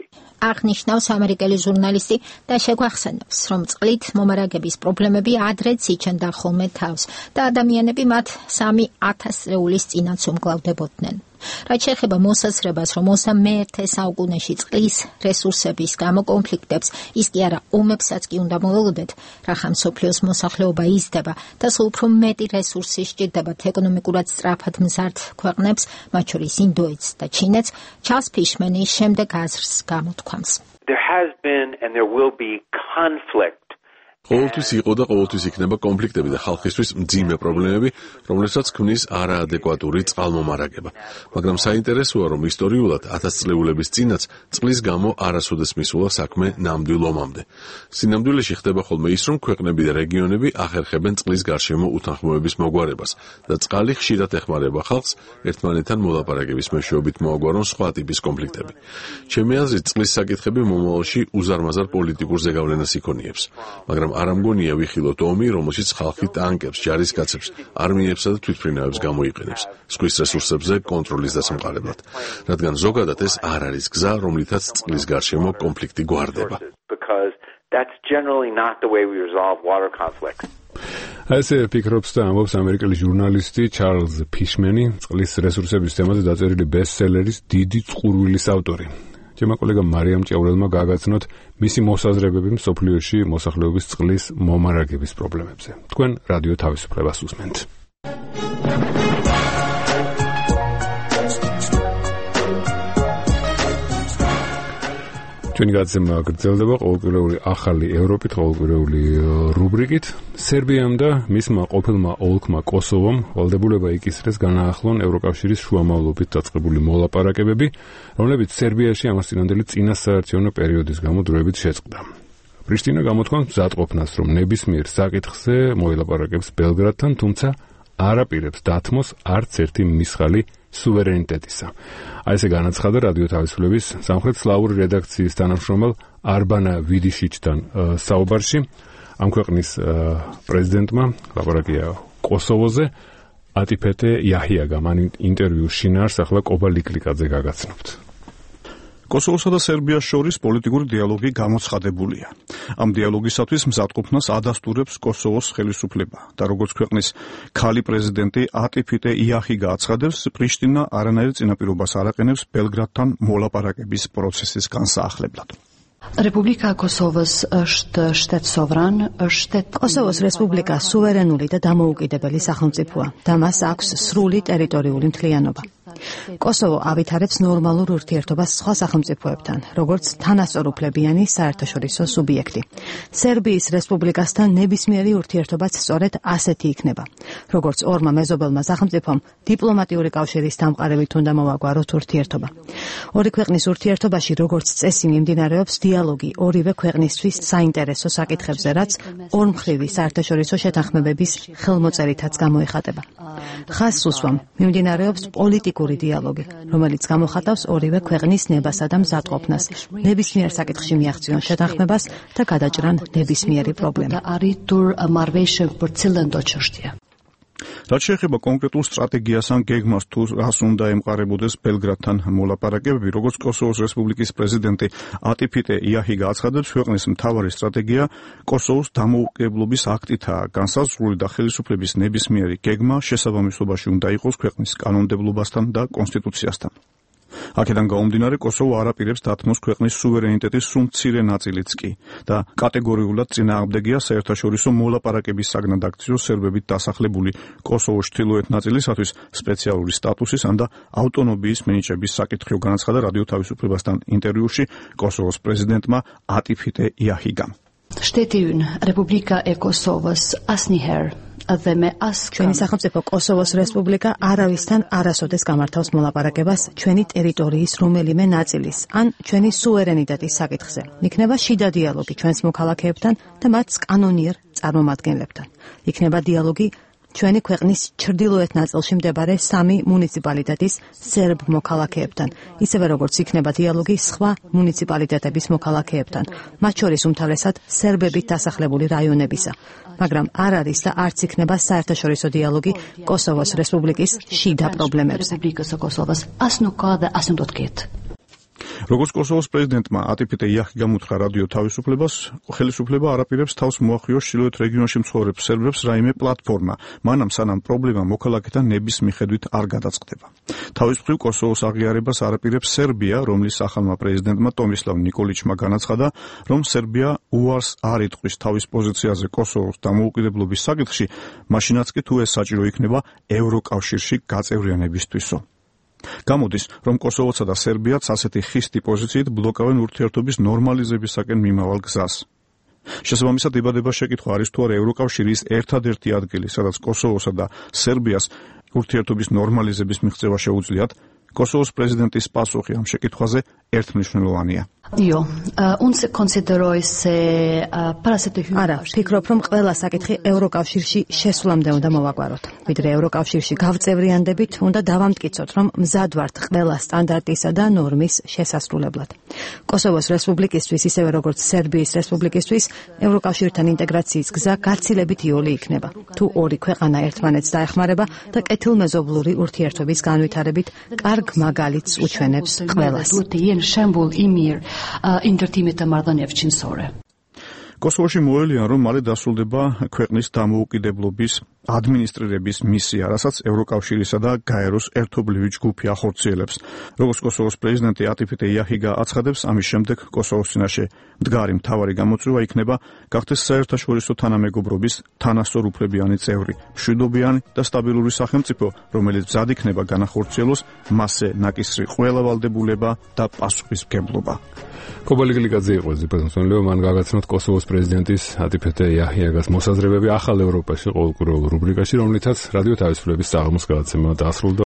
აღნიშნავს ამერიკელი ჟურნალისტი და შეგვახსენებს, რომ წყლით მომარაგების პრობლემები ადრეც იჩენდა ხოლმე თავს და ადამიანები მათ სამი ათას წლების წინაც უმკლავდებოდნენ. რაც შეეხება მოსაზრებას, რომ ოცდამეერთე საუკუნეში წყლის რესურსების გამო კონფლიქტებს, ის კი არა ომებსაც კი უნდა მოველოდეთ, რახან მსოფლიოს მოსახლეობა იზრდება და სულ უფრო მეტი რესურსი სჭირდებათ ეკონომიკურად სწრაფად მზარდ ქვეყნებს, მათ შორის ინდოეთს და ჩინეთს, ჩარლზ ფიშმანი შემდეგ აზრს გამოთქვამს. There has been and there will be conflict ყოველთვის იყო და ყოველთვის იქნება კონფლიქტები და ხალხისთვის მძიმე პრობლემები, რომლებსაც ქმნის არაადეკვატური წყალმომარაგება. მაგრამ საინტერესოა, რომ ისტორიულად ათასწლეულების წინაც წყლის გამო არასოდეს მისულა საქმე ნამდვილ ომამდე. სინამდვილეში ხდება ხოლმე ის, რომ ქვეყნები და რეგიონები ახერხებენ წყლის გარშემო უთანხმოების მოგვარებას და წყალი ხშირად ეხმარება ხალხს ერთმანეთთან მოლაპარაკების მეშვეობით მოაგვარონ სხვა ტიპის კონფლიქტები. ჩემი აზრით, წყლის საკითხები მომავალში უზარმაზარ პოლიტიკურ ზეგავლენას იქონიებს, მაგრამ არ ამგონია ვიხილოთ ომი, რომელშიც ხალხი ტანკებს, ჯარისკაცებს, არმიებსა და თვითმფრინავებს გამოიყენებს ზღვის რესურსებზე კონტროლის დასამყარებლად, რადგან ზოგადად ეს არ არის გზა, რომლითაც წყლის გარშემო კონფლიქტი გვარდება. That's generally not the way we resolve water conflicts. ასე ფიქრობს და ამბობს ამერიკელი ჟურნალისტი ჩარლზ ფიშმენი, წყლის რესურსების თემაზე დაწერილი ბესტსელერის დიდი წყურვილის ავტორი. ჩემო კოლეგა მარიამ ჭეურელმა გააგაცნოთ მისი მოსაზრებები მსოფლიოში მოსახლეობის წყლის მომარაგების პრობლემებზე. თქვენ რადიო თავისუფლებას უსმენთ. ჩვენი გადაცემა გრძელდება ყოველკვირეული ახალი ევროპით, ყოველკვირეული რუბრიკით. სერბიამ და მისმა ყოფილმა ოლქმა კოსოვომ ვალდებულება იკისრეს განაახლონ ევროკავშირის შუამავლობით დაწყებული მოლაპარაკებები, რომლებიც სერბიაში ამასწინებელი წინასაარჩევნო პერიოდის გამო დროებით შეწყდა. პრიშტინა გამოთქვამს მზადყოფნას, რომ ნებისმიერ საკითხზე მოილაპარაკებს ბელგრადთან, თუმცა არ აპირებს დათმოს არც ერთი მისხალი სუვერენიტეტისა. აი ესე განაცხადა რადიო თავისუფლების სამხრეთ სლავური რედაქციის თანამშრომელ არბანა ვიდიშიჩთან საუბარში. ამ ქვეყნის პრეზიდენტმა ლაპარაკია კოსოვოზე, ატიფეტე იაჰიაგამ ამ ინტერვიუს შინაარს ახლა კობა ლიკლიკაძე გაგაცნობთ. კოსოვოსა და სერბიას შორის პოლიტიკური დიალოგი გამოცხადებულია. ამ დიალოგისათვის მზადყოფნას ადასტურებს კოსოვოს ხელისუფლება და როგორც ქვეყნის ქალი პრეზიდენტი ატიფეტე იაჰიგა აცხადებს, პრიშტინა არანაირ წინაპირობას არ აყენებს ბელგრადთან მოლაპარაკების პროცესის განსაახლებლად. Republika Kosovos është shtet sovran, shtet კოსოვოს რესპუბლიკა სუვერენული და დამოუკიდებელი სახელმწიფოა და მას აქვს სრული ტერიტორიული მთლიანობა. კოსოვო ავითარებს ნორმალურ ურთიერთობას სხვა სახელმწიფოებთან, როგორც თანასწორუფლებიანი საერთაშორისო სუბიექტი. სერბიის რესპუბლიკასთან ნებისმიერი ურთიერთობაც სწორედ ასეთი იქნება. როგორც ორმა მეზობელმა სახელმწიფომ დიპლომატიური კავშირის დამყარებით უნდა მოვაგვაროთ ურთიერთობა. ორი ქვეყნის ურთიერთობაში როგორც წესი მიმდინარეობს დიალოგი ორივე ქვეყნისთვის საინტერესო საკითხებზე, რაც ორმხრივი საერთაშორისო შეთანხმებების ხელმოწერითაც გამოიხატება. ხაზს უსვამ მიმდინარეობს პოლიტიკური დიალოგი, რომელიც გამოხატავს ორივე ქვეყნის ნებასა და მზადყოფნას, ნებისმიერ საკითხში მიაღწიონ შეთანხმებას და გადაჭრან ნებისმიერი პრობლემა. რაც შეეხება კონკრეტულ სტრატეგიას ან გეგმას თუ რას უნდა ემყარებოდეს ბელგრადთან მოლაპარაკებები, როგორც კოსოვოს რესპუბლიკის პრეზიდენტი ატიფეტე იაჰიგა აცხადებს, ქვეყნის მთავარი სტრატეგია კოსოვოს დამოუკიდებლობის აქტითაა განსაზღვრული და ხელისუფლების ნებისმიერი გეგმა შესაბამისობაში უნდა იყოს ქვეყნის კანონმდებლობასთან და კონსტიტუციასთან. აქედან გამომდინარე, კოსოვო არ აპირებს დათმოს ქვეყნის სუვერენიტეტის სულ მცირე ნაწილიც კი და კატეგორიულად წინააღმდეგია საერთაშორისო მოლაპარაკების საგნად აქციოს სერბებით დასახლებული კოსოვოს ჩრდილოეთ ნაწილისათვის სპეციალური სტატუსის ან და ავტონომიის მინიჭების საკითხი განაცხადა რადიო თავისუფლებასთან ინტერვიუში კოსოვოს პრეზიდენტმა ატიფეტე იაჰიგამ. Shtetyn Republika e Kosovos asnjëherë dhe me as ჩვენი სახელმწიფო კოსოვოს რესპუბლიკა არავისთან არასოდეს გამართავს მოლაპარაკებას ჩვენი ტერიტორიის რომელიმე ნაწილის ან ჩვენი სუვერენიტეტის საკითხზე. იქნება შიდა დიალოგი ჩვენს მოქალაქეებთან და მათ კანონიერ წარმომადგენლებთან. იქნება დიალოგი ჩვენი ქვეყნის ჩრდილოეთ ნაწილში მდებარე სამი მუნიციპალიტეტის სერბ მოქალაქეებთან, ისევე როგორც იქნება დიალოგი სხვა მუნიციპალიტეტების მოქალაქეებთან, მათ შორის უმთავრესად სერბებით დასახლებული რაიონებისა, მაგრამ არ არის და არც იქნება საერთაშორისო დიალოგი კოსოვოს რესპუბლიკის შიდა პრობლემებზე. როგორც კოსოვოს პრეზიდენტმა ატიფეტე იაჰიგამ უთხრა რადიო თავისუფლებას, ხელისუფლება არ აპირებს თავს მოახიოს ჩრდილოეთ რეგიონში მცხოვრებ სერბებს რაიმე პლატფორმა, მანამ სანამ პრობლემა მოქალაქეთა ნების მიხედვით არ გადაწყდება. თავის მხრივ კოსოვოს აღიარებას არ აპირებს სერბია, რომლის ახალმა პრეზიდენტმა ტომისლავ ნიკოლიჩმა განაცხადა, რომ სერბია უარს არ იტყვის თავის პოზიციაზე კოსოვოს დამოუკიდებლობის საკითხში, მაშინაც კი თუ ეს საჭირო იქნება ევროკავშირში გაწევრიანებისთვისო. გამოდის, რომ კოსოვოცა და სერბიაც ასეთი ხისტი პოზიციით ბლოკავენ ურთიერთობის ნორმალიზებისაკენ მიმავალ გზას. შესაბამისად იბადება შეკითხვა არის თუ არა ევროკავშირის ერთადერთი ადგილი, სადაც კოსოვოსა და სერბიას ურთიერთობის ნორმალიზების მიღწევა შეუძლიათ. კოსოვოს პრეზიდენტის პასუხი ამ შეკითხვაზე ერთმნიშვნელოვანია. Io, uh, un se considero esse uh, parasite არა, ფიქრობ, რომ ყველა საკითხი ევროკავშირში შესვლამდე უნდა მოვაგვაროთ. ვიდრე ევროკავშირში გავწევრიანდებით, უნდა დავამტკიცოთ, რომ მზად ვართ ყველა სტანდარტისა და ნორმის შესასრულებლად. კოსოვოს რესპუბლიკისთვის, ისევე როგორც სერბიის რესპუბლიკისთვის, ევროკავშირთან ინტეგრაციის გზა გაცილებით იოლი იქნება. თუ ორი ქვეყანა ერთმანეთს დაეხმარება და კეთილმეზობლური ურთიერთობის განვითარებით კარგ მაგალითს უჩვენებს ყველას. ინტერთიმეტა მარდანევჩინ სორე. კოსოვოში მოელიან, რომ მალე დასრულდება ქვეყნის დამოუკიდებლობის ადმინისტრირების მისია, რასაც ევროკავშირისა და გაეროს ერთობლივი ჯგუფი ახორციელებს. როგორც კოსოვოს პრეზიდენტი ატიფიტე იაჰიგა აცხადებს, ამის შემდეგ კოსოვოს წინაშე მდგარი მთავარი გამოწვევა იქნება გახდეს საერთაშორისო თანამეგობრობის თანასწორუფლებიანი წევრი, მშვიდობიანი და სტაბილური სახელმწიფო, რომელიც მზად იქნება განახორციელოს მასზე ნაკისრი ყველა ვალდებულება და პასუხისმგებლობა. კობალი გლიკაძე იყო ზეპრეზიდენტო, მან გაგაცნოთ კოსოვოს პრეზიდენტის ატიფიტე იაჰიგას მოსაზრებები ახალ ევროპაში ყოველკვირეულ რუბრიკაში, რომლითაც რადიო თავისუფლების საღამოს გადაცემა დასრულდა.